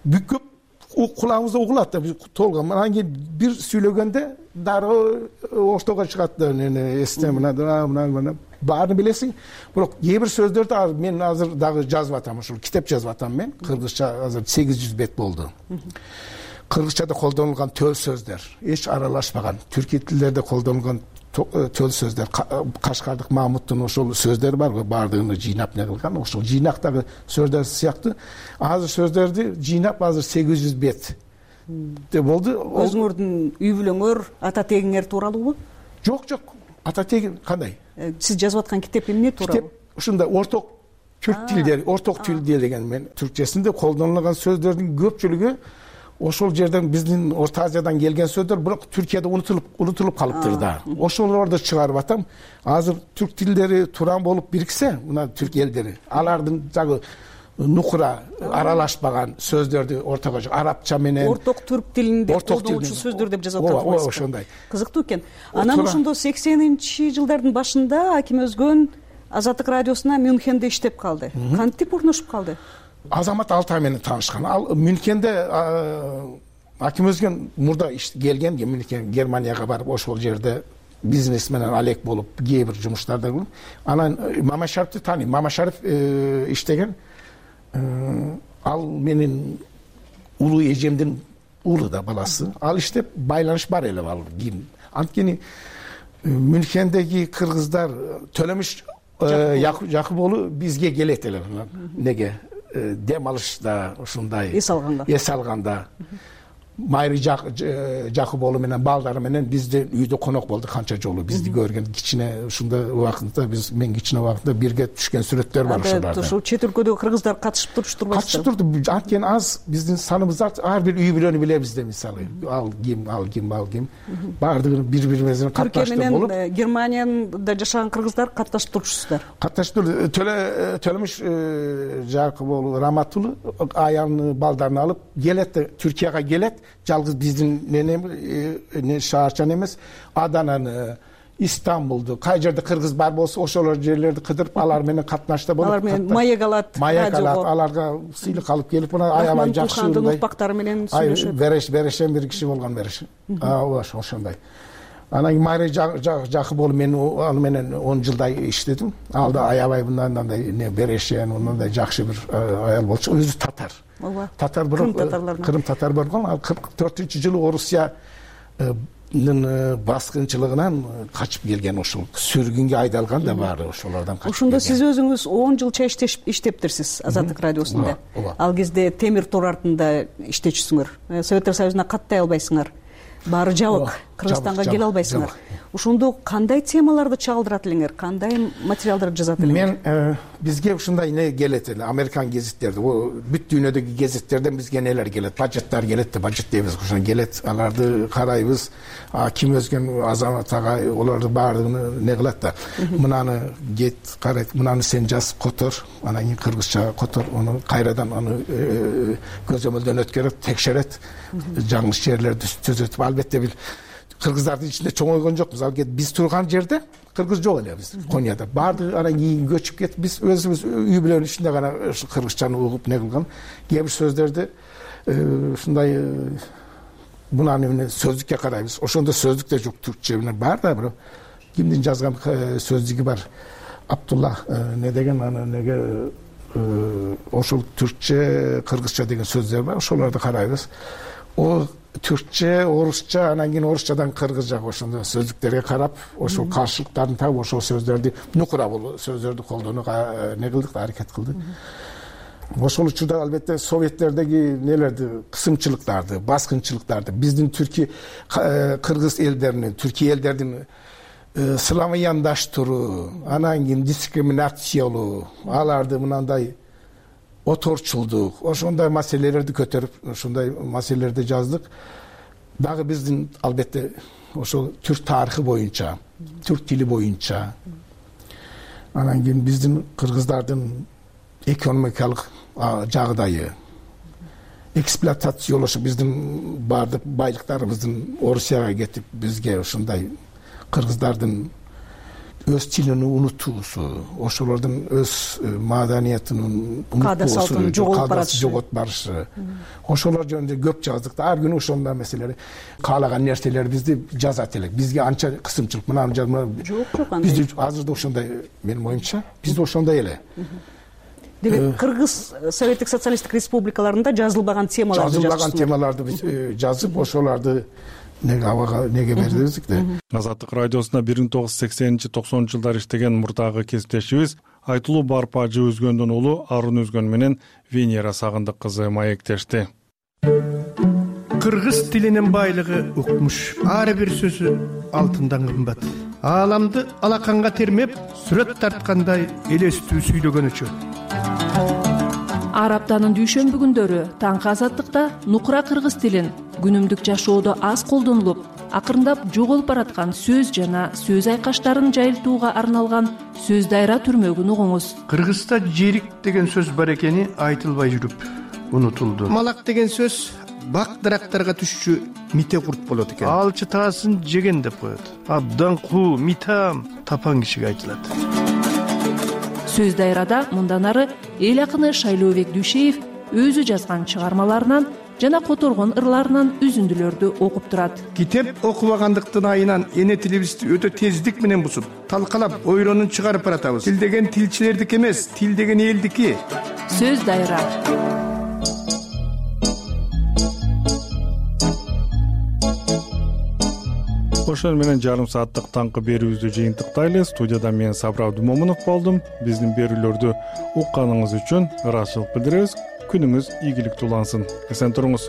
Бүкүп кулагыбызда угулат да, биз толгон. Анан кийин бир сүйлөгөндө дароо оштого чыгат да, эсте мына мына мына баарын билесиң. Бирок кээ бир сөздөрдү мен азыр дагы жазып атам, ошол китеп жазып атам мен. Кыргызча азыр сегиз жүз бет болду. Кыргызчада колдонулган төл сөздөр эч аралашпаган, түрки тилдерде колдонулган төл сөздөр, Кашкардык Мамуттун ошол сөздөрү бар, баардыгын жыйнап не кылган. Ошол жыйнактагы сөздөр сыяктуу азыр сөздөрдү жыйнап азыр сегиз жүз бет деп болду. Өзүңөрдүн үй бүлөңөр, ата тегиңер тууралуубу? Жок, жок. Ата тегин кандай? Сиз жазып аткан китеп эмне тууралуу? Китеп ушундай орток түрк тилдери, орток тил деген мен түркчесинде колдонулган сөздөрдүн көпчүлүгү ошол жерден биздин Орто Азиядан келген сөздөр, бирок Түркияда унутулуп унутулуп калыптыр да. Ошолорду чыгарып атам. Азыр түрк тилдери туран болуп бириксе, мына түрк элдери, алардын жагы нукура аралашпаган сөздөрдү ортого арабча менен орток түрк тилинде колдонуучу сөздөр деп жазып атат. Ооба, ошондой. Кызыктуу экен. Анан ошондо сексенинчи жылдардын башында Аким Өзгөн Азаттык радиосуна Мюнхенде иштеп калды. Кантип орношуп калды? Азамат Алтай менен таанышкан. Ал Мюнхенде Аким Өзгөн мурда келген, Мюнхен Германияга барып ошол жерде бизнес менен алек болуп, кээ бир жумуштарда кылып, анан Мамашариповду тааныйм. Мамашарипов иштеген. Ал менин улуу эжемдин уулу да, баласы. Ал иштеп байланыш бар эле ал кийин. Анткени Мюнхендеги кыргыздар Төлөмүш Жакып уулу бизге келет эле. Неге? дем алышта ушундай эс алганда эс алганда Майра Жакупова менен балдары менен бизде үйдө конок болду канча жолу. Бизди көргөн кичине ушундай убакытта биз мен кичине убакытта бирге түшкөн сүрөттөр бар ошолордо. Ушул чет өлкөдөгү кыргыздар катышып туруштур катышып турду. Анткени аз биздин саныбыз ар бир үй бүлөнү билебиз да, мисалы ал ким ал ким ал ким баардыгы бири бири менен катнаштып болуп. Түркия менен Германияда жашаган кыргыздар катнашып турушсуздар. Катнашып турду. Төлө Төлөмүш Жакупов Раматулы аянын балдарын алып келет, Түркияга келет. Жалгыз биздин нене шаарчан эмес, Адананы, Истамбулду, кай жерде кыргыз бар болсо ошолор жерлерди кыдырып, алар менен катнашта болуп, алар менен маек алат, маек алат, аларга сыйлык алып келип, мына аябай жакшы мындай укпактары менен сүйлөшөт. Береш, берешен бир киши болгон береш. Ооба, ошондой. Анан кийин Майра Жакупова мен аны менен он жылдай иштедим. Ал да аябай мындай не берешен, мындай жакшы бир аял болчу. Өзү татар. Ооба. Татар бирок Кырым татар болгон. Ал кырк төртүнчү жылы Орусиянын баскынчылыгынан качып келген, ошол сүргүнгө айдалган да баары ошолордон качып. Ошондо сиз өзүңүз он жылча иштептирсиз Азаттык радиосунда. Ал кезде темир тор артында иштечүсүңөр. Советтер Союзуна каттай албайсыңар. Баары жабык, Кыргызстанга келе албайсыңар. Ошондо кандай темаларды чагылдырат элеңер, кандай материалдарды жазат элеңер? Мен бизге ушундай не келет эле, Американ гезиттерди, бүт дүйнөдөгү гезиттерден бизге нелер келет, бажеттар келет да, бажет дейбиз, ошон келет. Аларды карайбыз, ким өзгөн азамат ага олорду баардыгын не кылат да. Мынаны кет, карайт, мынаны сен жаз, котор, анан кийин кыргызча котор, аны кайрадан аны көзөмөлдөн өткөрөт, текшерет, жаңылыш жерлерди түзөтүп. Албетте бир кыргыздардын ичинде чоңойгон жокпуз. Ал биз турган жерде кыргыз жок эле биз Конияда. Баардыгы анан кийин көчүп кетип, биз өзүбүз үй бүлөнүн ичинде гана кыргызчаны угуп не кылган. Кээ бир сөздөрдү ушундай мынаны эмне сөздүккө карайбыз. Ошондо сөздүк да жок, түркчө менен бар да, бирок кимдин жазган сөздүгү бар. Абдулла не деген аны неге ошол түркчө, кыргызча деген сөздөр бар. Ошолорду карайбыз. О түркчө, орусча, анан кийин орусчадан кыргызчага ошондо сөздүктөргө карап, ошол каршылыктарын таап, ошол сөздөрдү нукура бул сөздөрдү колдонууга не кылдык да, аракет кылдык. Ошол учурда албетте советтердеги нелерди, кысымчылыктарды, баскынчылыктарды биздин түрки кыргыз элдеринин, түрки элдердин славяндаштыруу, анан кийин дискриминациялоо, аларды мынандай оторчулдук, ошондой маселелерди көтөрүп, ошондой маселелерди жаздык. Дагы биздин албетте ошол түрк тарыхы боюнча, түрк тили боюнча, анан кийин биздин кыргыздардын экономикалык жагдайы, эксплуатациялошу, биздин баардык байлыктарыбыздын Орусияга кетип, бизге ошондой кыргыздардын өз тилин унутуусу, ошолордун өз маданиятынын унутуусу, жоготуп барышы. Ошолор жөнүндө көп жаздык да. Ар күнү ошондой маселелер, каалаган нерселер бизди жазат элек. Бизге анча кысымчылык, мынаны жазма. Жок, жок андай. Бизде азырда ошондой, менин оюмча, бизде ошондой эле. Демек, Кыргыз Советтик социалисттик республикаларында жазылбаган темаларды жазып, жазылбаган темаларды биз жазып, ошолорду неге абага неге бердик да. Азаттык радиосуна бир миң тогуз жүз сексенинчи токсонунчу жылдары иштеген мурдагы кесиптешибиз Айтылуу Барпажы Өзгөндүн уулу Арын Өзгөн менен Венера Сагындык кызы маектешти. Кыргыз тилинин байлыгы укмуш. Ар бир сөзү алтындан кымбат. Ааламды алаканга термеп, сүрөт тарткандай элестүү сүйлөгөнүчө. Ар аптанын дүйшөмбү күндөрү таңкы азаттыкта нукура кыргыз тилин күнүмдүк жашоодо аз колдонулуп, акырындап жоголуп бараткан сөз жана сөз айкаштарын жайылтууга арналган сөз дайра түрмөгүн угуңуз. Кыргызда жерик деген сөз бар экени айтылбай жүрүп унутулду. Малак деген сөз бак дарактарга түшчү мите курт болот экен. Алчы таасын жеген деп коет. Абдан куу, митам тапан кишиге айтылат. Сөз дайрада мындан ары эл акыны Шайлообек Дүйшеев өзү жазган чыгармаларынан жана которгон ырларынан үзүндүлөрдү окуп турат. Китеп окубагандыктын айынан эне тилибизди өтө тездик менен бузуп, талкалап, ойронун чыгарып баратабыз. Тил деген тилчилердики эмес, тил деген элдики. Сөз дайра. ошону менен жарым сааттык таңкы берүүбүздү жыйынтыктайлы. Студияда мен Сабыр Абдумомунов болдум. Биздин берүүлөрдү укканыңыз үчүн ыраазычылык билдиребиз. Күнүңүз ийгиликтүү улансын. Эсен туруңуз.